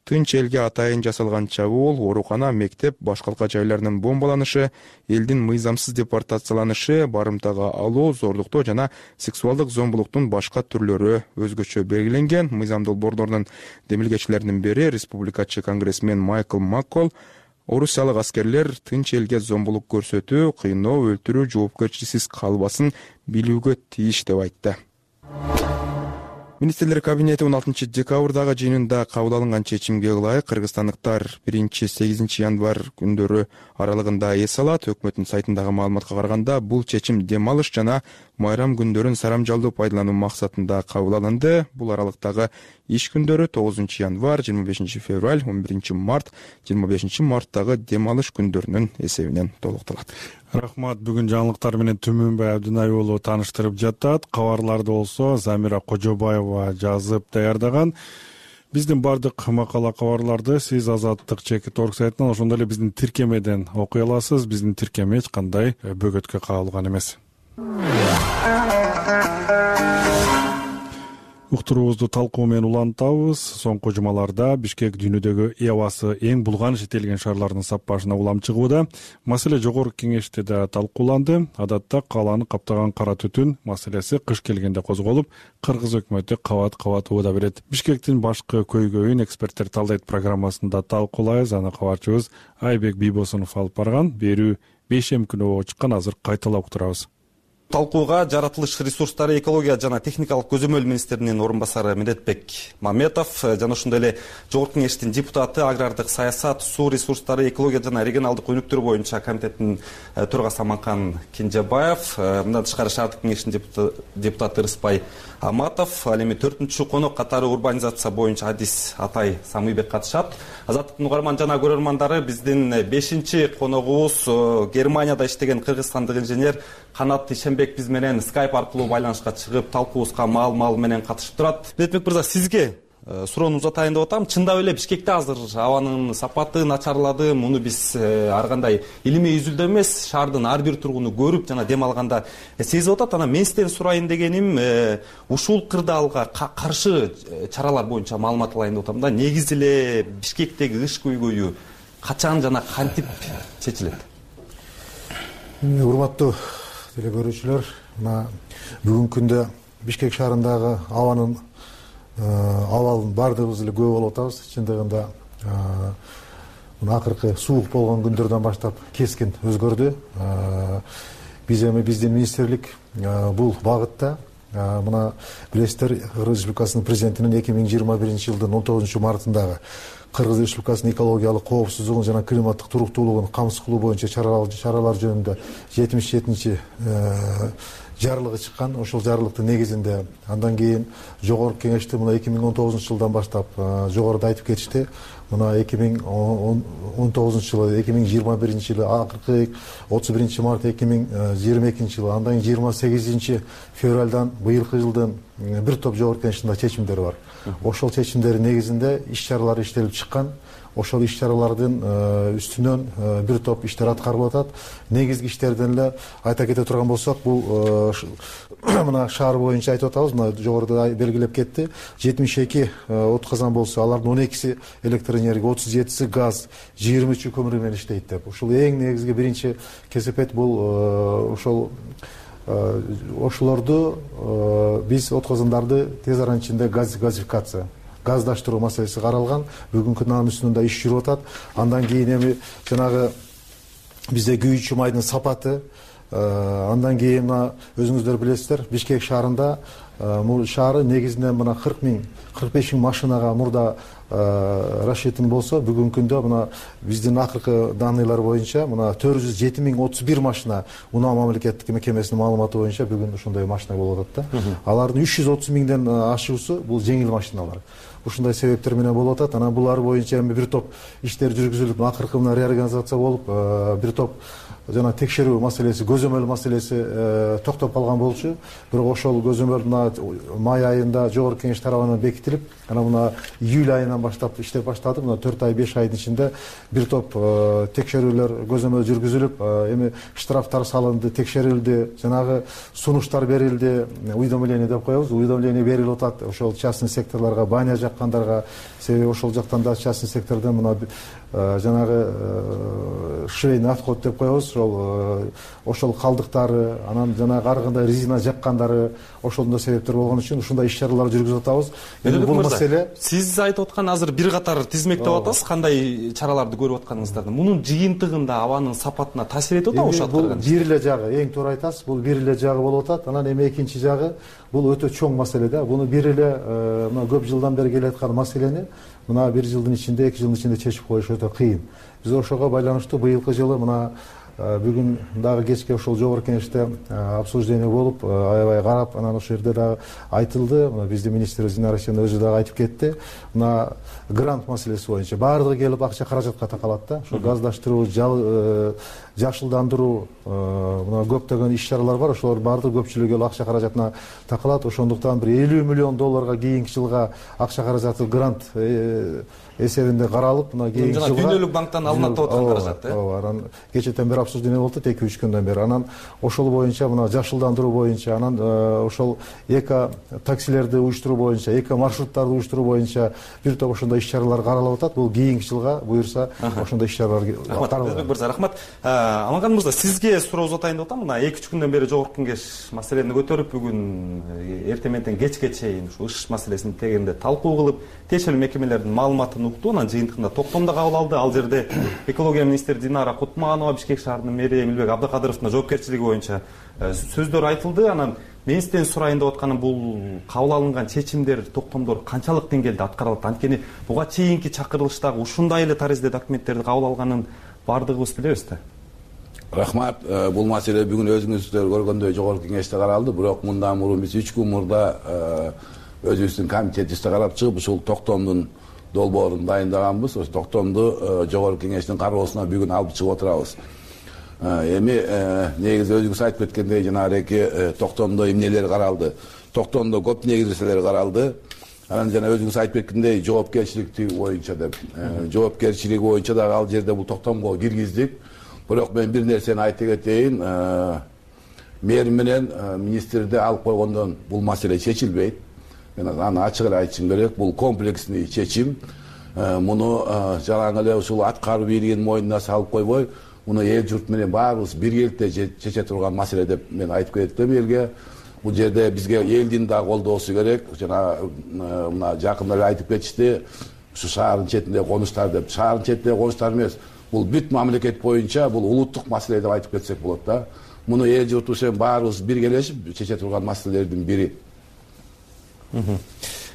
тынч элге атайын жасалган чабуул, оорукана, мектеп, башкалка жайларынын бомбаланышы, элдин мыйзамсыз депортацияланышы, барымтага алуу, зорлуктоо жана сексуалдык зомбулуктун башка түрлөрү өзгөчө белгиленген. Мыйзам долбоорлорунун демилгечилеринин бири республикачы конгрессмен Майкл Маккол орусиялык аскерлер тынч элге зомбулук көрсөтүү, кыйноо, өлтүрүү жоопкерчиликсиз калбасын билүүгө тийиш деп айтты. Министрлер кабинети он алтынчы декабрдагы жыйынында кабыл алынган чечимге ылайык кыргызстандыктар биринчи сегизинчи январь күндөрү аралыгында эс алат. Өкмөттүн сайтындагы маалыматка караганда бул чечим дем алыш жана майрам күндөрүн сайрамжалдуу пайдалануу максатында кабыл алынды. Бул аралыктагы иш күндөрү тогузунчу январь, жыйырма бешинчи февраль, он биринчи март, жыйырма бешинчи марттагы дем алыш күндөрүнүн эсебинен толукталат. Рахмат. Бүгүн жаңылыктар менен Түмөнбай Абдынай уулу тааныштырып жатат. Кабарларды болсо Замира Кожобаева жазып даярдаган. Биздин бардык макала кабарларды сиз Азаттык чекит орг сайтынан, ошондой эле биздин тиркемеден окуй аласыз. Биздин тиркеме эч кандай бөгөткө кагылган эмес. Уктуруубузду талкуу менен улантабыз. Соңку жумаларда Бишкек дүйнөдөгү эбасы эң булганыч этелген шаарлардын саппашына улам чыгууда. Маселе жогорку кеңеште да талкууланды. Адатта калааны каптаган кара түтүн маселеси кыш келгенде козголуп, кыргыз өкмөтү кабат-кабат убада берет. Бишкектин башкы көйгөйүн эксперттер талдайт программасында талкуулайбыз. Аны кабарчыбыз Айбек Бийбосунов алып барган. Берүү бейшем күнү болуп чыккан. Азыр кайталап уктурабыз. Талкууга жаратылыш ресурстары, экология жана техникалык көзөмөл министринин орун басары Медетбек Маметов жана ошондой эле жогорку кеңештин депутаты, агрардык саясат, суу ресурстары, экология жана регионалдык өнүктүрүү боюнча комитеттин төрагасы Аманкан Кенжебаев, мындан тышкары шаардык кеңештин депутаты Рыспай Аматов, ал эми төртүнчү конок катары урбанизация боюнча Адис Атай Самыйбек катышат. Азаттыктын угарман жана көрөрмандары, биздин бешинчи коногубуз Германияда иштеген кыргызстандык инженер Канат Ишенбек биз менен скайп аркылуу байланышка чыгып, талкуубузга маал-маал менен катышып турат. Медетбек мырза, сизге суроону узатайын деп атам. Чындап эле Бишкекте азыр абанын сапаты начарлады. Муну биз ар кандай илимий изилдөө эмес, шаардын ар бир тургуну көрүп жана дем алганда сезип атат. Анан мен сизден сурайын дегеним, ушул кырдаалга каршы чаралар боюнча маалымат алайын деп атам да. Негизи эле Бишкектеги кыш көйгөйү качан жана кантип чечилет? Урматтуу теле көрүүчүлөр, мына бүгүнкү күндө Бишкек шаарындагы абанын абалын баардыгыбыз эле күбө болуп атабыз. Чындыгында мына акыркы суук болгон күндөрдөн баштап кескин өзгөрдү. Биз эми биздин министрлик бул багытта, мына билесиздер, Кыргыз Республикасынын президентинин эки миң жыйырма биринчи жылдын он тогузунчу мартындагы Кыргыз Республикасынын экологиялык коопсуздугун жана климаттык туруктуулугун камсыз кылуу боюнча чаралар жөнүндө жетимиш жетинчи жарлыгы чыккан. Ошол жарлыктын негизинде андан кийин жогорку кеңеште мына эки миң он тогузунчу жылдан баштап жогоруда айтып кетишти. Мына эки миң он тогузунчу жылы, эки миң жыйырма биринчи жылы акыркы отуз биринчи март эки миң жыйырма экинчи жылы, андан кийин жыйырма сегизинчи февралдан быйылкы жылдын бир топ жогорку кеңешинде чечимдер бар. Ошол чечимдердин негизинде иш чаралар иштелип чыккан. Ошол иш чаралардын үстүнөн бир топ иштер аткарылып атат. Негизги иштерден эле айта кете турган болсок, бул мына шаар боюнча айтып атабыз, мына жогоруда белгилеп кетти. жетимиш эки отказан болсо, алардын он экиси электроэнергия, отуз жетиси газ, жыйырма үчү көмүр менен иштейт деп. Ушул эң негизги биринчи кесепет бул ошол ошолорду биз отказандарды тез арада ичинде газификация, газдаштыруу маселеси каралган. Бүгүнкү күндө анын үстүндө иш жүрүп атат. Андан кийин эми жанагы бизде күйүүчү майдын сапаты, андан кийин мына өзүңүздөр билесиздер, Бишкек шаарында шаары негизинен мына кырк миң кырк беш миң машинага мурда расчетин болсо, бүгүнкү күндө мына биздин акыркы данныйлар боюнча мына төрт жүз жети миң отуз бир машина Унаа мамлекеттик мекемесинин маалыматы боюнча бүгүн ошондой машина болуп атат да. Алардын үч жүз отуз миңден ашуусу бул жеңил машиналар. Ушундай себептер менен болуп атат. Анан булар боюнча эми бир топ иштер жүргүзүлүп, акыркы мына реорганизация болуп, бир топ жана текшерүү маселеси, көзөмөл маселеси токтоп калган болчу. Бирок ошол көзөмөл мына май айында жогорку кеңеш тарабынан бекитилип, анан мына июль айынан баштап иштеп баштады. Мына төрт ай беш айдын ичинде бир топ текшерүүлөр, көзөмөл жүргүзүлүп, эми штрафтар салынды, текшерилди, жанагы сунуштар берилди, уведомление деп коебуз, уведомление берилип атат ошол частный секторлорго, баня жаккандарга. Себеби ошол жактан да частный сектордон мына жанагы швейный отход деп коебуз, ошол ошол калдыктары, анан жанагы ар кандай резина жаккандары ошондой да себептер болгон үчүн ушундай иш чараларды жүргүзүп атабыз. Эми бул маселе сиз айтып аткан азыр бир катар тизмектеп атасыз, кандай чараларды көрүп атканыңыздарды. Мунун жыйынтыгында абанын сапатына таасир этип атабы ошо аткарган? Бул бир эле жагы, эң туура айтасыз, бул бир эле жагы болуп атат. Анан эми экинчи жагы бул өтө чоң маселе да. Буну бир эле мына көп жылдан бери келаткан маселени мына бир жылдын ичинде, эки жылдын ичинде чечип коюш өтө кыйын. Биз ошого байланыштуу быйылкы жылы мына бүгүн дагы кечке ошол жогорку кеңеште обсуждение болуп, аябай карап, анан ошол жерде дагы айтылды. Мына биздин министр Динара Исенова өзү дагы айтып кетти. Мына грант маселеси боюнча баардыгы келип акча каражатка такалат да. Ошо газдаштыруу, жакшылдандыруу, мына көптөгөн иш чаралар бар. Ошолор баардыгы көпчүлүгү келип акча каражатына такалат. Ошондуктан бир элүү миллион долларга кийинки жылга акча каражаты грант эсебинде каралып, мына кийинки жылга Дүйнөлүк банктан алынат деп аткан каражат, э? Ооба, анан кечэтен бери обсуждение болуп атат, эки үч күндөн бери. Анан ошол боюнча мына жакшылдандыруу боюнча, анан ошол эко таксилерди уюштуруу боюнча, эко маршруттарды уюштуруу боюнча бир топ ошондой иш чаралар каралып атат. Бул кийинки жылга буюрса ошондой иш чаралар каралат. Мырза, рахмат. Аманган мырза, сизге суроо узатайын деп атам. Мына эки үч күндөн бери жогорку кеңеш маселени көтөрүп, бүгүн эртең менен кечке чейин ушу иш маселесин тегеринде талкуу кылып, тиешелүү мекемелердин маалыматын укту. Анан жыйынтыгында токтом да кабыл алды. Ал жерде экология министри Динара Кутманова, Бишкек шаарынын мэри Эмилбек Абдыкадыровдун жоопкерчилиги боюнча сөздөр айтылды. Анан мен сизден сурайын деп атканым, бул кабыл алынган чечимдер, токтомдор канчалык деңгээлде аткарылат? Анткени буга чейинки чакырылыштагы ушундай эле таризде документтерди кабыл алганын баардыгыбыз билебиз да. Рахмат. Бул маселе бүгүн өзүңүздөр көргөндөй жогорку кеңеште каралды. Бирок мындан мурун биз үч күн мурда өзүбүздүн комитетибизде карап чыгып, ушул токтомдун долбоорун дайындаганбыз. Ошо токтомду жогорку кеңештин кароосуна бүгүн алып чыгып отурабыз. Эми негизи өзүңүз айтып кеткендей, жанагы токтомдо эмнелер каралды? Токтомдо көп негизделер каралды. Анан жана өзүңүз айтып кеткендей, жоопкерчилик боюнча деп, жоопкерчилиги боюнча дагы ал жерде бул токтомго киргиздик. Бирок мен бир нерсени айтып кетейин, мэр менен министрди алып койгондон бул маселе чечилбейт. Мен аны ачык эле айтышым керек. Бул комплексный чечим. Муну жалаң эле ушул аткаруу бийлигинин мойнуна салып койбой, муну эл журт менен баарыбыз биргеликте чече турган маселе деп мен айтып кеттим элге. Бул жерде бизге элдин да колдоосу керек. Жана мына жакында эле айтып кетишти, ушу шаардын четинде конуштар деп. Шаардын четинде конуштар эмес, бул бүт мамлекет боюнча бул улуттук маселе деп айтып кетсек болот да. Муну эл журтубуз менен баарыбыз биргелешип чече турган маселелердин бири.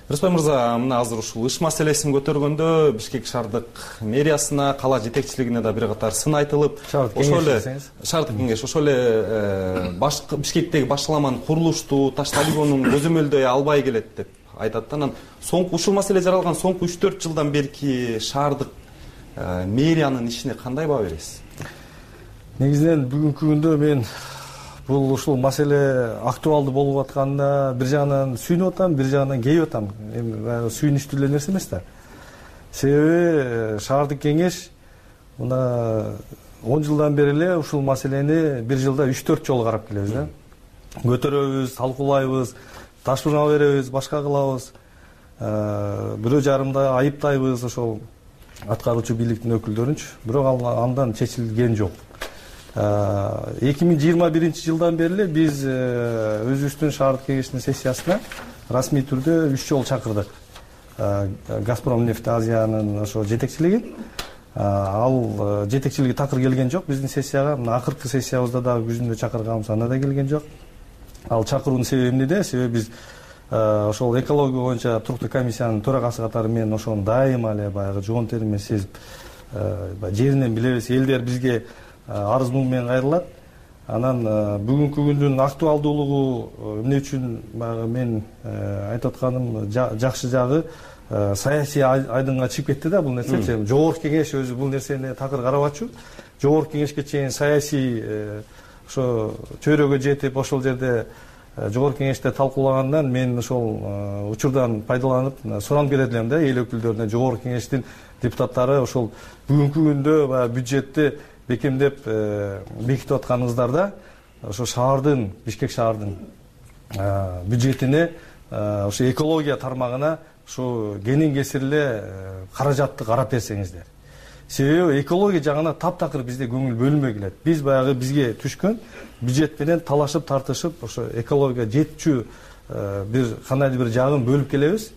Рыспай мырза, мына азыр ушул иш маселесин көтөргөндө Бишкек шаардык мэриясына, кала жетекчилигине да бир катар сын айтылып, ошол эле шаардык кеңеш ошол эле Бишкектеги башаламанын курулушту таш полигонун көзөмөлдөй албай келет деп айтат. Анан соңку ушул маселе жаралган соңку үч төрт жылдан берки шаардык мэриянын ишине кандай баа бересиз? Негизинен бүгүнкү күндө мен бул ушул маселе актуалдуу болуп атканына бир жагынан сүйүнүп атам, бир жагынан кейип атам. Эми сүйүнүчтүү эле нерсе эмес да. Себеби шаардык кеңеш мына он жылдан бери эле ушул маселени бир жылда үч төрт жолу карап келебиз да. Көтөрөбүз, талкуулайбыз, ташпырма беребиз, башка кылабыз. Бирөө жарымда айыптайбыз ошол аткаруучу бийликтин өкүлдөрүнчү. Бирок андан чечилген жок. эки миң жыйырма биринчи жылдан бери эле биз өзүбүздүн шаардык кеңештин сессиясына расмий түрдө үч жолу чакырдык. Газпром нефть Азиянын ошо жетекчилигин. Ал жетекчилиги такыр келген жок биздин сессияга. Мына акыркы сессиябызда дагы күзүндө чакырганбыз, анда да келген жок. Ал чакыруунун себеби эмнеде? Себеби биз ошол экология боюнча туруктуу комиссиянын төрагасы катары мен ошону дайыма эле баягы жоон теримен сезип, жеринен билебиз, элдер бизге арыз муң менен кайрылат. Анан бүгүнкү күндүн актуалдуулугу эмне үчүн баягы мен айтып атканым жакшы жагы саясий айдынга чыгып кетти да бул нерсе. Жогорку кеңеш өзү бул нерсени такыр карабачу. Жогорку кеңешке чейин саясий ошо чөйрөгө жетип ошол жерде жогорку кеңеште талкуулагандан мен ошол учурдан пайдаланып суранып кетет элем да эл өкүлдөрүнө. Жогорку кеңештин депутаттары ошол бүгүнкү күндө баягы бюджетти бекемдеп бекитип атканыңыздарда ошо шаардын, Бишкек шаардын бюджетине ошо экология тармагына ушу кенен кесирле каражатты карап берсеңиздер. себеби экология жагына таптакыр бизде көңүл бөлүнбөй келет. Биз баягы бизге түшкөн бюджет менен талашып тартышып ошо экологияга жетчү бир кандайдыр бир жагын бөлүп келебиз.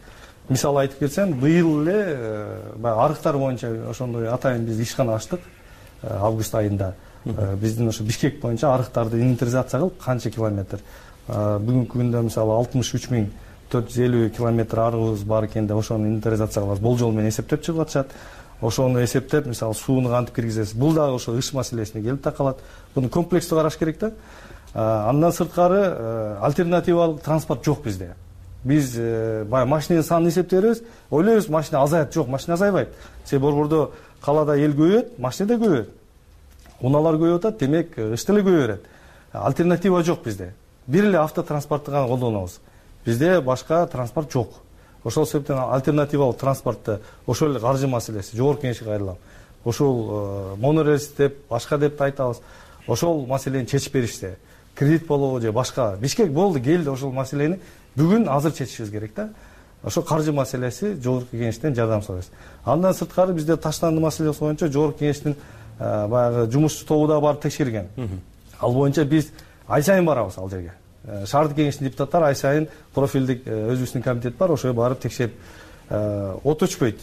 Мисалы айтып кетсем, быйыл эле баягы арыктар боюнча ошондой атайын биз ишкана ачтык август айында. Биздин ошо Бишкек боюнча арыктарды инвентаризация кылып канча километр. Бүгүнкү күндө мисалы алтымыш үч миң төрт жүз элүү километр арыгыбыз бар экен деп ошону инвентаризация кылабыз. Болжол менен эсептеп чыгып атышат. Ошону эсептеп, мисалы сууну кантип киргизесиз. Бул дагы ошо ыш маселесине келип такалат. Буну комплекстүү караш керек да. Андан сырткары альтернативалык транспорт жок бизде. Биз баягы машинанын санын эсептейбиз, ойлойбуз машина азаят. Жок, машина азайбайт. Себеби борбордо калаада эл көбөйөт, машина да көбөйөт. Унаалар көбөйүп атат, демек ыш деле көбөйөт. Альтернатива жок бизде. Бир эле автотранспортты гана колдонобуз. Бизде башка транспорт жок. Ошол себептен альтернативалык транспортты ошол эле каржы маселеси жогорку кеңешке кайрылам. Ошол монорельс деп, башка деп айтабыз. Ошол маселени чечип беришсе, кредит болобу же башка. Бишкек болду, келди, ошол маселени бүгүн азыр чечишибиз керек да. Ошо каржы маселеси жогорку кеңештен жардам сурайбыз. Андан сырткары бизде таштанды маселеси боюнча жогорку кеңештин баягы жумушчу тобу да барып текшерген. Ал боюнча биз ай сайын барабыз ал жерге. Шаардык кеңештин депутаттары ай сайын профилдик өзүбүздүн комитет бар, ошого барып текшерип от өчпөйт.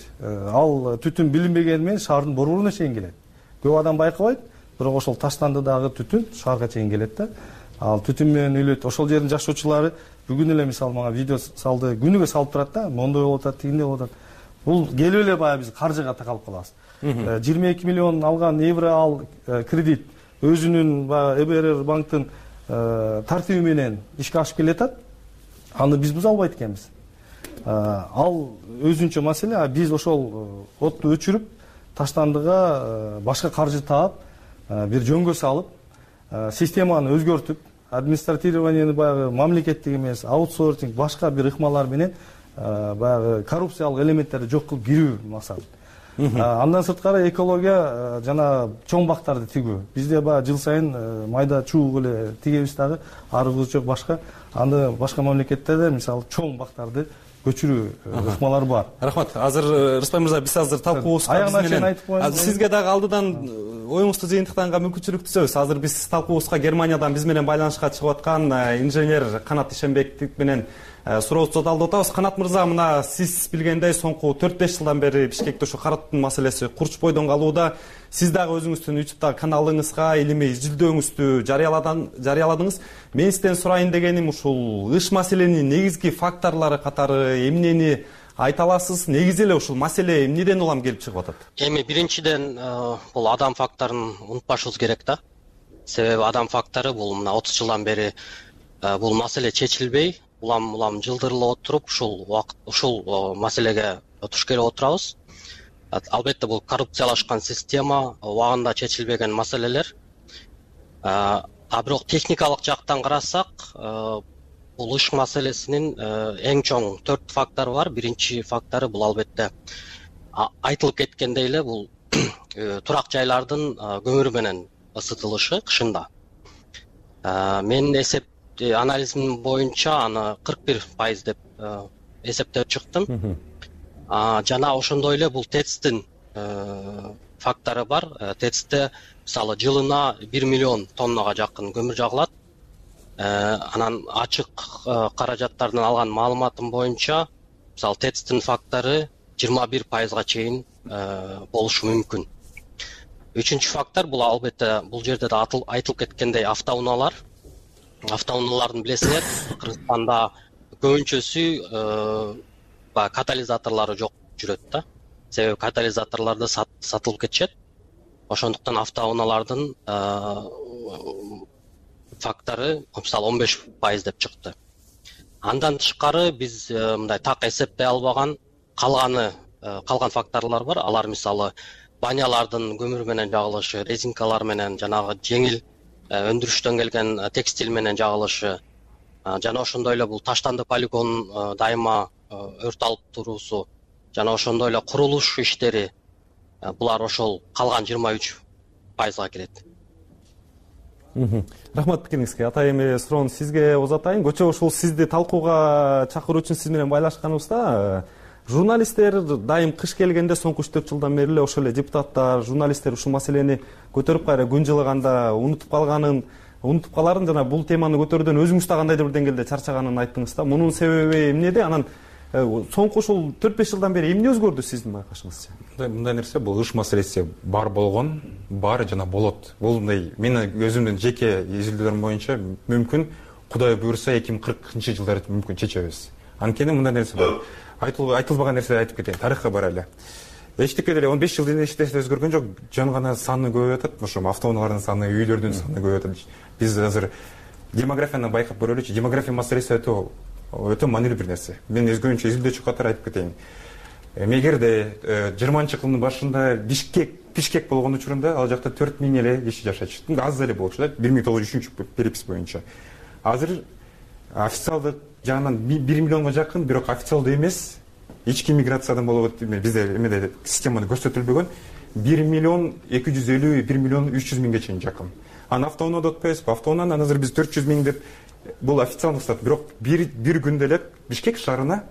Ал түтүн билинбегени менен шаардын борборуна чейин келет. Көп адам байкабайт, бирок ошол таштандыдагы түтүн шаарга чейин келет да. Ал түтүн менен өлөт. Ошол жердин жашоочулары бүгүн эле мисалы мага видео салды, күнүгө салып турат да, мондой болуп атат, тигиндей болуп атат. Бул келип эле баягы биз каржыга такалып калабыз. жыйырма эки миллион алган евро ал кредит өзүнүн баягы ЭБРР банктын тартиби менен ишке ашып келатат. Аны биз буза албайт экенбиз. Ал өзүнчө маселе, а биз ошол отту өчүрүп, таштандыга башка каржы таап, бир жөнгө салып, системаны өзгөртүп, администратированияны баягы мамлекеттик эмес, аутсорсинг, башка бир ыкмалар менен баягы коррупциялык элементтерди жок кылып кирүү максаты. Андан сырткары экология жана чоң бактарды тигүү. Бизде баягы жыл сайын майда чуук эле тигебиз дагы, арыбыз жок башка. Аны башка мамлекеттерде мисалы чоң бактарды көчүрүү ыкмалары бар. Рахмат. Азыр Рыспай мырза, биз азыр талкуубузга биз менен сизге дагы алдыдан оюңузду жыйынтыктаганга мүмкүнчүлүк түзөбүз. Азыр биз талкуубузга Германиядан биз менен байланышка чыгып аткан инженер Канат Ишенбек менен сурообузду алдап атабыз. Канат мырза, мына сиз билгендей соңку төрт беш жылдан бери Бишкекте ошо кара түтүн маселеси курч бойдон калууда. Сиз дагы өзүңүздүн ютубтагы каналыңызга илимий изилдөөңүздү жарыяладыңыз. Мен сизден сурайын дегеним ушул ыш маселенин негизги факторлору катары эмнени айта аласыз? Негизи эле ушул маселе эмнеден улам келип чыгып атат? Эми биринчиден бул адам факторун унутпашыбыз керек да. Себеби адам фактору бул мына отуз жылдан бери бул маселе чечилбей, улам улам жылдырылып отуруп, ушул убакыт ушул маселеге туш келип отурабыз. Албетте бул коррупциялашкан система, убагында чечилбеген маселелер. А бирок техникалык жактан карасак, бул ыш маселесинин эң чоң төрт фактору бар. Биринчи фактору бул албетте айтылып кеткендей эле бул турак жайлардын көмүр менен ысытылышы кышында. Мен эсеп анализим боюнча аны кырк бир пайыз деп эсептеп чыктым. Жана ошондой эле бул ТЭЦтин фактору бар. ТЭЦте мисалы жылына бир миллион тоннага жакын көмүр жагылат. Анан ачык каражаттардан алган маалыматым боюнча мисалы ТЭЦтин фактору жыйырма бир пайызга чейин болушу мүмкүн. Үчүнчү фактор бул албетте бул жерде да айтылып кеткендей автоунаалар. Автоунаалардын билесиңер, Кыргызстанда көбүнчөсү катализаторлору жок жүрөт да. Себеби катализаторлорду сатылып кетишет. Ошондуктан автоунаалардын фактору мисалы он беш пайыз деп чыкты. Андан тышкары биз мындай так эсептей албаган калганы калган факторлор бар. Алар мисалы банялардын көмүр менен жагылышы, резинкалар менен, жанагы жеңил өндүрүштөн келген текстиль менен жагылышы, жана ошондой эле бул таштанды полигон дайыма өрт алып туруусу, жана ошондой эле курулуш иштери, булар ошол калган жыйырма үч пайызга кирет. Рахмат пикириңизге. Атайын эми суроону сизге узатайын. Көчө ушул сизди талкууга чакыруу үчүн сиз менен байлашканыбызда журналисттер дайым кыш келгенде соңку үч төрт жылдан бери эле ошол эле депутаттар, журналисттер ушул маселени көтөрүп кайра күн жылыганда унутуп калганын, унутуп каларын жана бул теманы көтөрүүдөн өзүңүз да кандайдыр бир деңгээлде чарчаганын айттыңыз да. Мунун себеби эмнеде? Анан соңку ушул төрт беш жылдан бери эмне өзгөрдү сиздин байкашыңызча? Мындай нерсе, бул ыш маселеси бар болгон, бар жана болот. Бул мындай менин өзүмдүн жеке изилдөөлөрүм боюнча мүмкүн Кудай буйрса эки миң кыркынчы жылдары мүмкүн чечебиз. Анткени мындай нерсе бар. Айтылбаган нерсе айтып кетейин. Тарыхка бар эле. Эчтеке деле он беш жылдын ичинде өзгөргөн жок. Жөн гана саны көбөйүп атат. Ошо автоунаалардын саны, үйлөрдүн саны көбөйүп атат. Биз азыр демографияны байкап көрөлүчү. Демография маселеси өтө өтө маанилүү бир нерсе. Мен өзгөчө изилдөөчү катары айтып кетейин. Эгерде жыйырманчы кылдын башында Бишкек Бишкек болгон учурунда ал жакта төрт миң эле киши жашачу. Аз эле болчу да, бир миң тогуз жүз үчүнчү перепис боюнча. Азыр официалдык жагынан бир миллионго жакын, бирок официалдуу эмес, ички миграциядан болуп бизде эмеде системада көрсөтүлбөгөн бир миллион эки жүз элүү, бир миллион үч жүз миңге чейин жакын. Анан автоунаада өтпөйбүзбү? Автоунаадан азыр биз төрт жүз миң деп бул официалдык стат, бирок бир бир күндө эле Бишкек шаарына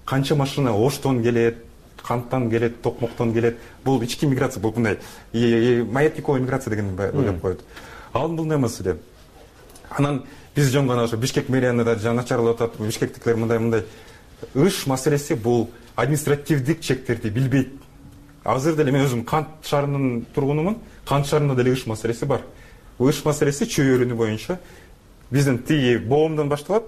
канча машина Оштон келет, Канттан келет, Токмоктон келет. Бул ички миграция, бул мындай маятниковый миграция деген ойлоп коет. Ал мындай маселе. Анан биз жөн гана ошо Бишкек мэрияны да начарлап атат. Бишкектиклер мындай-мындай ыш маселеси бул административдик чектерди билбейт. Азыр деле мен өзүм Кант шаарынын тургунумун. Кант шаарында деле ыш маселеси бар. Ыш маселеси чүй өрүнү боюнча биздин тиги Боомдон башталат,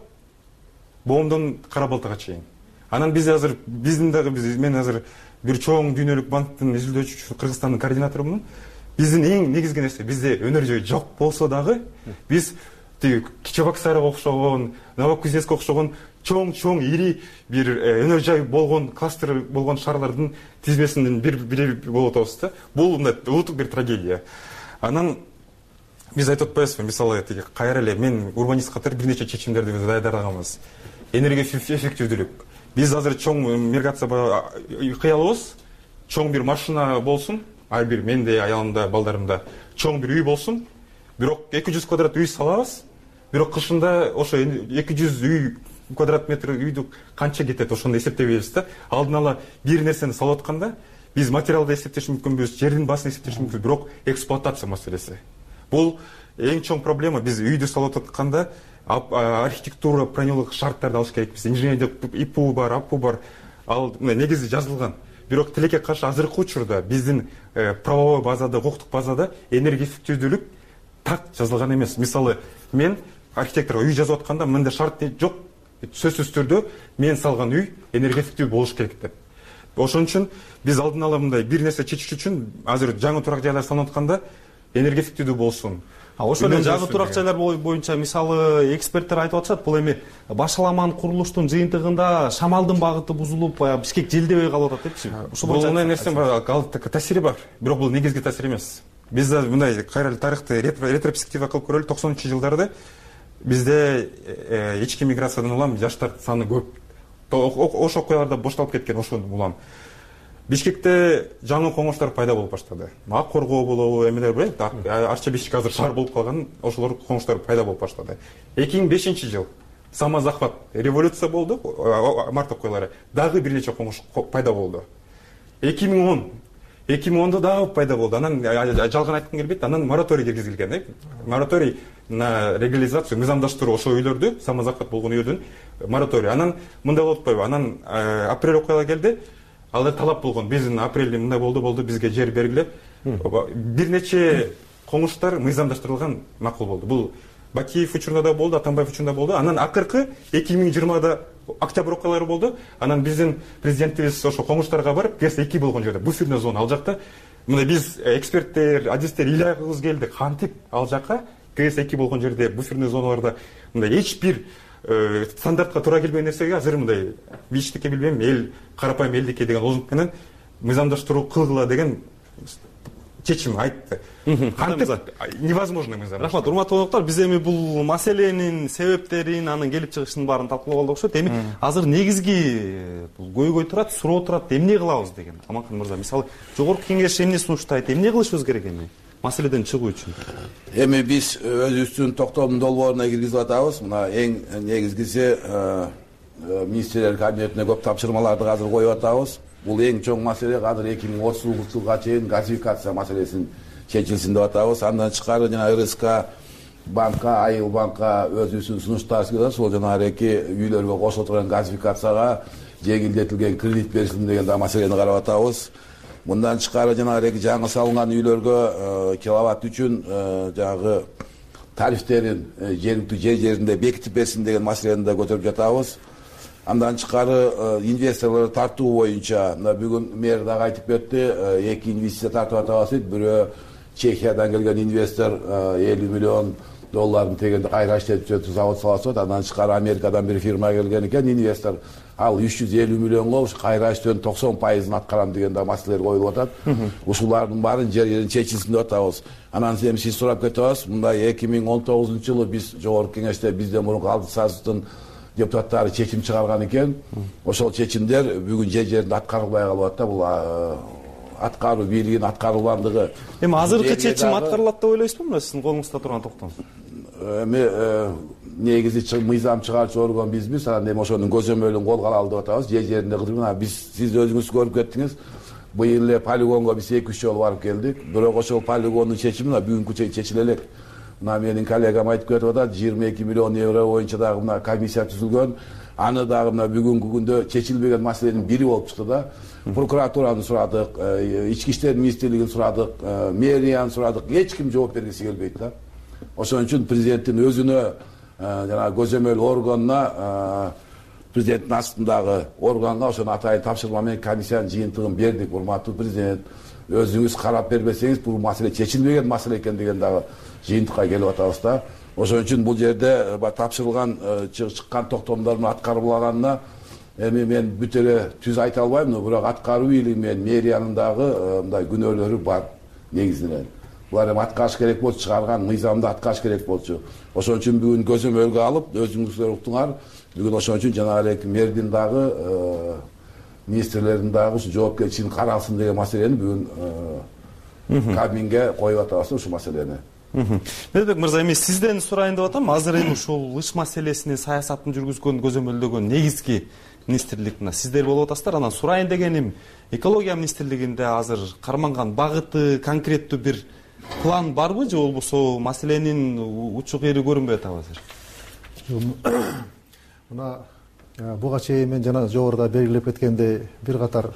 Боомдон Кара Балтага чейин. Анан биз азыр биздин дагы биз мен азыр бир чоң дүйнөлүк банктын изилдөөчүсү, Кыргызстандын координаторумун. Биздин эң негизги нерсе, бизде өнөр жай жок болсо дагы биз тиги Чебоксарга окшогон, Новокузнецкке окшогон чоң-чоң ири бир өнөр жай болгон кластер болгон шаарлардын тизмесинин бир бири болуп атабыз да. Бул мындай улуттук бир трагедия. Анан биз айтып атпайбызбы, мисалы тиги кайра эле мен урбанист катары бир нече чечимдерди биз даярдаганбыз. Энергия эффективдүүлүк. Биз азыр чоң миграция кыялыбыз, чоң бир машина болсун, ар бир менде, аялымда, балдарымда чоң бир үй болсун. Бирок эки жүз квадрат үй салабыз. Бирок кышында ошо эки жүз үй квадрат метр үйдү канча кетет, ошондо эсептебейбиз да. Алдын ала бир нерсени салып атканда биз материалды эсептеш мүмкүнбүз, жердин баасын эсептеш мүмкүнбүз, бирок эксплуатация маселеси. Бул эң чоң проблема. Биз үйдү салып атканда архитектура правилык шарттарды алыш керекпиз. Инженердик ИПУ бар, АПУ бар. Ал негизи жазылган. Бирок тилекке каршы азыркы учурда биздин правовой базада, укуктук базада энергия эффективдүүлүк так жазылган эмес. Мисалы, мен архитекторго үй жазып атканда мындай шарт жок. Сөзсүз түрдө мен салган үй энергия эффективдүү болуш керек деп. Ошон үчүн биз алдын ала мындай бир нерсе чечиш үчүн азыр жаңы турак жайлар салынып атканда энергия эффективдүү болсун. Ошол эле жаңы турак жайлар боюнча мисалы эксперттер айтып атышат, бул эми башаламан курулуштун жыйынтыгында шамалдын багыты бузулуп, Бишкек желдебей калып атат депчи. Бул мындай нерсе бар, таасири бар. Бирок бул негизги таасир эмес. Биз мындай кайра тарыхты ретроспектива кылып көрөлү. токсонунчу жылдарда бизде ички миграциядан улам жаштар саны көп. Ошо окуяларда боштолуп кеткен ошон улам. Бишкекте жаңы коңуштар пайда болуп баштады. Ак коргоо болобу, эмелер бар. Арча Бишкек азыр шаар болуп калган, ошолор коңуштар пайда болуп баштады. эки миң бешинчи жыл самозахват, революция болду, март окуялары. Дагы бир нече коңуш пайда болду. эки миң он эки миң ондо дагы пайда болду. Анан жалган айткым келбейт. Анан мораторий киргизилген, э? Мораторий на легализацию, мыйзамдаштыруу ошо үйлөрдү, самозахват болгон үйлөрдүн мораторий. Анан мындай болуп атпайбы? Анан апрель окуяга келди. Алар талап болгон, биздин апрелде мындай болду, болду, бизге жер бергиле. Бир нече коңуштар мыйзамдаштырылган макул болду. Бул Бакиев учурунда да болду, Атамбаев учурунда болду. Анан акыркы эки миң жыйырмада октябрь окуялары болду. Анан биздин президентибиз ошо коңуштарга барып, ГЭС эки болгон жерде буферный зона ал жакта. Мына биз эксперттер, адистер ыйлайгыбыз келди. Кантип ал жакка ГЭС эки болгон жерде буферный зоналарда мындай эч бир стандартка туура келбеген нерсеге азыр мындай биштикке билбейм, эл карапайым элдикке деген лозунг менен мыйзамдаштыруу кылгыла деген чечим айтты. Кантип невозможно мыйзам. Рахмат, урматтуу коноктор, биз эми бул маселенин себептерин, анын келип чыгышын баарын талкуулап алдык окшойт. Эми азыр негизги бул көйгөй турат, суроо турат, эмне кылабыз деген. Аманкан мырза, мисалы жогорку кеңеш эмне сунуштайт, эмне кылышыбыз керек эми маселеден чыгуу үчүн? Эми биз өзүбүздүн токтомдун долбооруна киргизип атабыз. Мына эң негизгиси министрлер кабинетине көп тапшырмаларды азыр коюп атабыз. Бул эң чоң маселе азыр эки миң отузунчу жылга чейин газификация маселесин чечилсин деп атабыз. Андан тышкары жана РСК банкка, Айыл банкка өзүбүздүн сунуштарыбыз келет. Сол жанагы үйлөргө кошуло турган газификацияга жеңилдетилген кредит берилсин деген да маселени карап атабыз. Мындан тышкары жанагы жаңы салынган үйлөргө киловатт үчүн жанагы тарифтерин жергиликтүү жер жеринде бекитип берсин деген маселени да көтөрүп жатабыз. Андан тышкары инвесторлорду тартуу боюнча бүгүн мэр дагы айтып кетти, эки инвестиция тартып атабыз дейт. Бирөө Чехиядан келген инвестор элүү миллион долларын тегенде кайра иштетип завод салат. Андан тышкары Америкадан бир фирма келген экен, инвестор ал үч жүз элүү миллионго ушу кайра иштөөнүн токсон пайызын аткарам деген да маселелер коюлуп атат. Ушулардын баарын жер жерин чечилсин деп атабыз. Анан эми сиз сурап кетебиз, мындай эки миң он тогузунчу жылы биз жогорку кеңеште бизден мурунку Алты Сазовдун депутаттары чечим чыгарган экен. Ошол чечимдер бүгүн жер жеринде аткарылбай калып атат. Бул аткаруу бийлигинин аткарылгандыгы. Эми азыркы чечим аткарылат деп ойлойсузбу мына сиздин колуңузда турган токтом? Эми негизи мыйзам чыгаруучу орган бизбиз. Анан эми ошонун көзөмөлүн колго алалы деп атабыз. Жер жеринде кыдырып, биз сиз өзүңүз көрүп кеттиңиз. Быйыл эле полигонго биз эки үч жолу барып келдик. Бирок ошол полигондун чечими бүгүнкү чечиле элек. Мына менин коллегам айтып кетип атат, жыйырма эки миллион евро боюнча дагы мына комиссия түзүлгөн. Аны дагы мына бүгүнкү күндө чечилбеген маселенин бири болуп чыкты да. Прокуратураны сурадык, ички иштер министрлигин сурадык, мэрияны сурадык, эч ким жооп бергиси келбейт да. Ошон үчүн президенттин өзүнө жана көзөмөл органына, президенттин астындагы органга ошону атайын тапшырма менен комиссиянын жыйынтыгын бердик. Урматтуу президент, өзүңүз карап бербесеңиз бул маселе чечилбеген маселе экен деген дагы жыйынтыкка келип атабыз да. Ошон үчүн бул жерде тапшырылган чыккан токтомдордун аткарылбаганына эми мен бүт эле түз айта албайм, бирок аткаруу бийлиги менен мэриянын дагы мындай күнөөлөрү бар негизинен. Булар эми аткарыш керек болчу, чыгарган мыйзамды аткарыш керек болчу. Ошон үчүн бүгүн көзөмөлгө алып, өзүңүздөр уктуңар. Бүгүн ошон үчүн жанагы эле мэрдин дагы, министрлердин дагы ушу жоопкерчилигин каралсын деген маселени бүгүн Кабминге коюп атабыз ушул маселени. Медетбек мырза, эми сизден сурайын деп атам. Азыр эми ушул ыш маселесини саясатын жүргүзгөн, көзөмөлдөгөн негизги министрлик мына сиздер болуп атасыздар. Анан сурайын дегеним, экология министрлигинде азыр карманган багыты, конкреттүү бир план барбы же болбосо маселенин учу кыйры көрүнбөй атабы азыр? Мына буга чейин мен жана жогоруда белгилеп кеткендей бир катар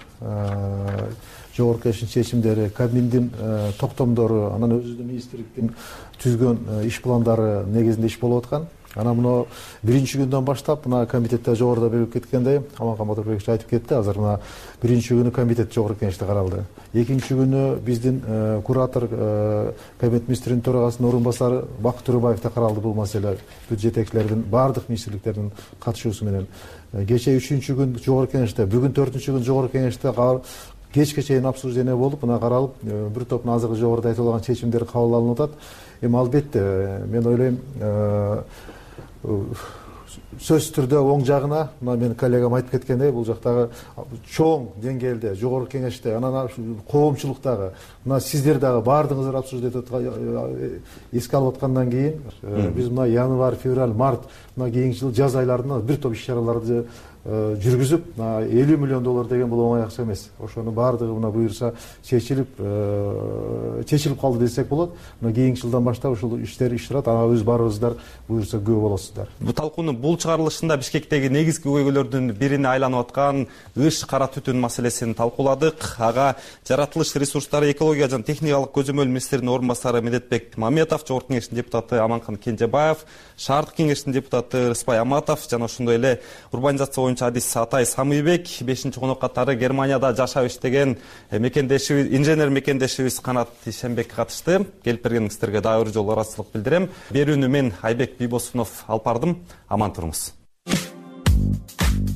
жогорку кеңештин чечимдери, Кабминдин токтомдору, анан өзүбүздүн министрликтин түзгөн иш пландары негизинде иш болуп аткан. Анан мына биринчи күндөн баштап мына комитетте жогоруда белгилеп кеткендей, Аманкан Батырбекович айтып кетти, азыр мына биринчи күнү комитет жогорку кеңеште каралды. Экинчи күнү биздин куратор, кабинет министринин төрагасынын орун басары Бакыт Төрөбаевде каралды бул маселе, бүт жетекчилердин, баардык министрликтердин катышуусу менен. Кечээ үчүнчү күн жогорку кеңеште, бүгүн төртүнчү күн жогорку кеңеште кечке чейин обсуждение болуп, мына каралып, бир топ азыркы жогоруда айтылган чечимдер кабыл алынып атат. Эми албетте, мен ойлойм, сөзсүз түрдө оң жагына, мына менин коллегам айтып кеткендей, бул жактагы чоң деңгээлде, жогорку кеңеште, анан коомчулуктагы, мына сиздер дагы баардыгыңыздар обсуждение эске алып аткандан кийин, биз мына январь, февраль, март, мына кийинки жылы жаз айларында бир топ иш чараларды жүргүзүп, элүү миллион доллар деген бул оңой акча эмес. Ошонун баардыгы мына буюрса чечилип, чечилип калды десек болот. Мына кийинки жылдан баштап ушул иштер иштират, ага өз барыбыздар буюрса күбө болосуздар. Бул талкуунун бул чыгарылышында Бишкектеги негизги көйгөйлөрдүн бирине айланып аткан ыш кара түтүн маселесин талкууладык. Ага жаратылыш ресурстары, экология жана техникалык көзөмөл министринин орун басары Медетбек Маметов, жогорку кеңештин депутаты Аманкан Кенжебаев, шаардык кеңештин депутаты Рыспай Аматов жана ошондой эле урбанизация боюнча адис Атай Самыйбек, бешинчи конок катары Германияда жашап иштеген мекендешибиз, инженер мекендешибиз Канат Ишенбек катышты. Келип бергениңиздерге дагы бир жолу ыраазычылык билдирем. Берүүнү мен Айбек Бийбосунов алып бардым. Аман туруңуз.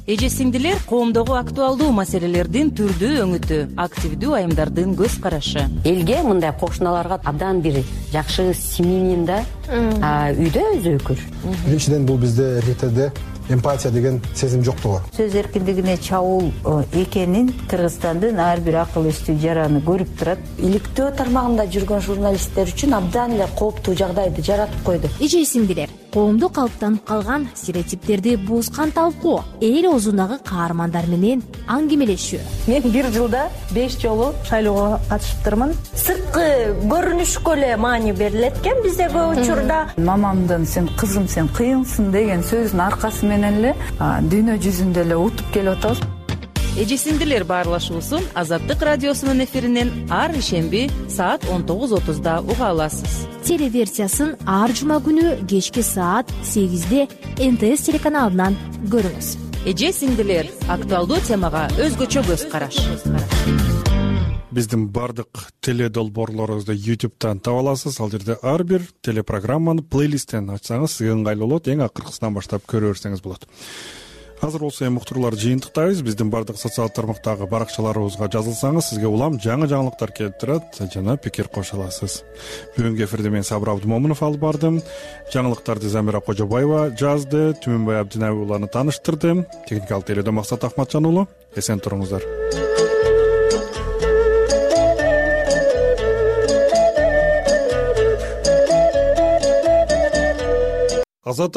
Эже сиңдилер, коомдогу актуалдуу маселелердин түрдүү өңүтү, активдүү айымдардын көз карашы. Элге мындай кошуналарга абдан бир жакшы симинин да, үйдө өзөкүр. Биринчиден бул бизде эркектерде эмпатия деген сезим жоктугу. Сөз эркиндигине чабуул экенин Кыргызстандын ар бир акыл эстүү жараны көрүп турат. Иликтөө тармагында жүргөн журналисттер үчүн абдан эле кооптуу жагдайды жаратып койду. Эже сиңдилер, коомдо калыптанып калган стереотиптерди буузган талкуу, эл оозундагы каармандар менен аңгемелешүү. Мен бир жылда беш жолу шайлоого катышыптырмын. Сырткы көрүнүшкө эле маани берилет экен бизде көп учурда. Мамамдын "сен кызым, сен кыйынсың" деген сөзүнүн аркасы менен эле дүйнө жүзүндө эле утуп келип атабыз. Эже-сиңдилер баарлашуусун Азаттык радиосунун эфиринен ар ишемби саат он тогуз отузда уга аласыз. Телеверсиясын ар жума күнү кечки саат сегизде эн тэ эс телеканалынан көрүңүз. Эже-сиңдилер актуалдуу темага өзгөчө көз караш. Биздин бардык теле долбоорлорубузду ютубтан таба аласыз. Ал жерде ар бир телепрограмманы плейлисттен ачсаңыз сизге ыңгайлуу болот. Эң акыркысынан баштап көрө берсеңиз болот. Азыр болсо эми уктурууларды жыйынтыктайбыз. Биздин бардык социалдык тармактагы баракчаларыбызга жазылсаңыз, сизге улам жаңы жаңылыктар келип турат жана пикир кошо аласыз. Бүгүнкү эфирде мен Сабыр Абдымомунов алып бардым. Жаңылыктарды Замира Кожобаева жазды, Түмөнбай Абдинаби ууланы тааныштырды. Техникалык тейлөөдө Максат Ахматжан уулу. Эсен туруңуздар. Азат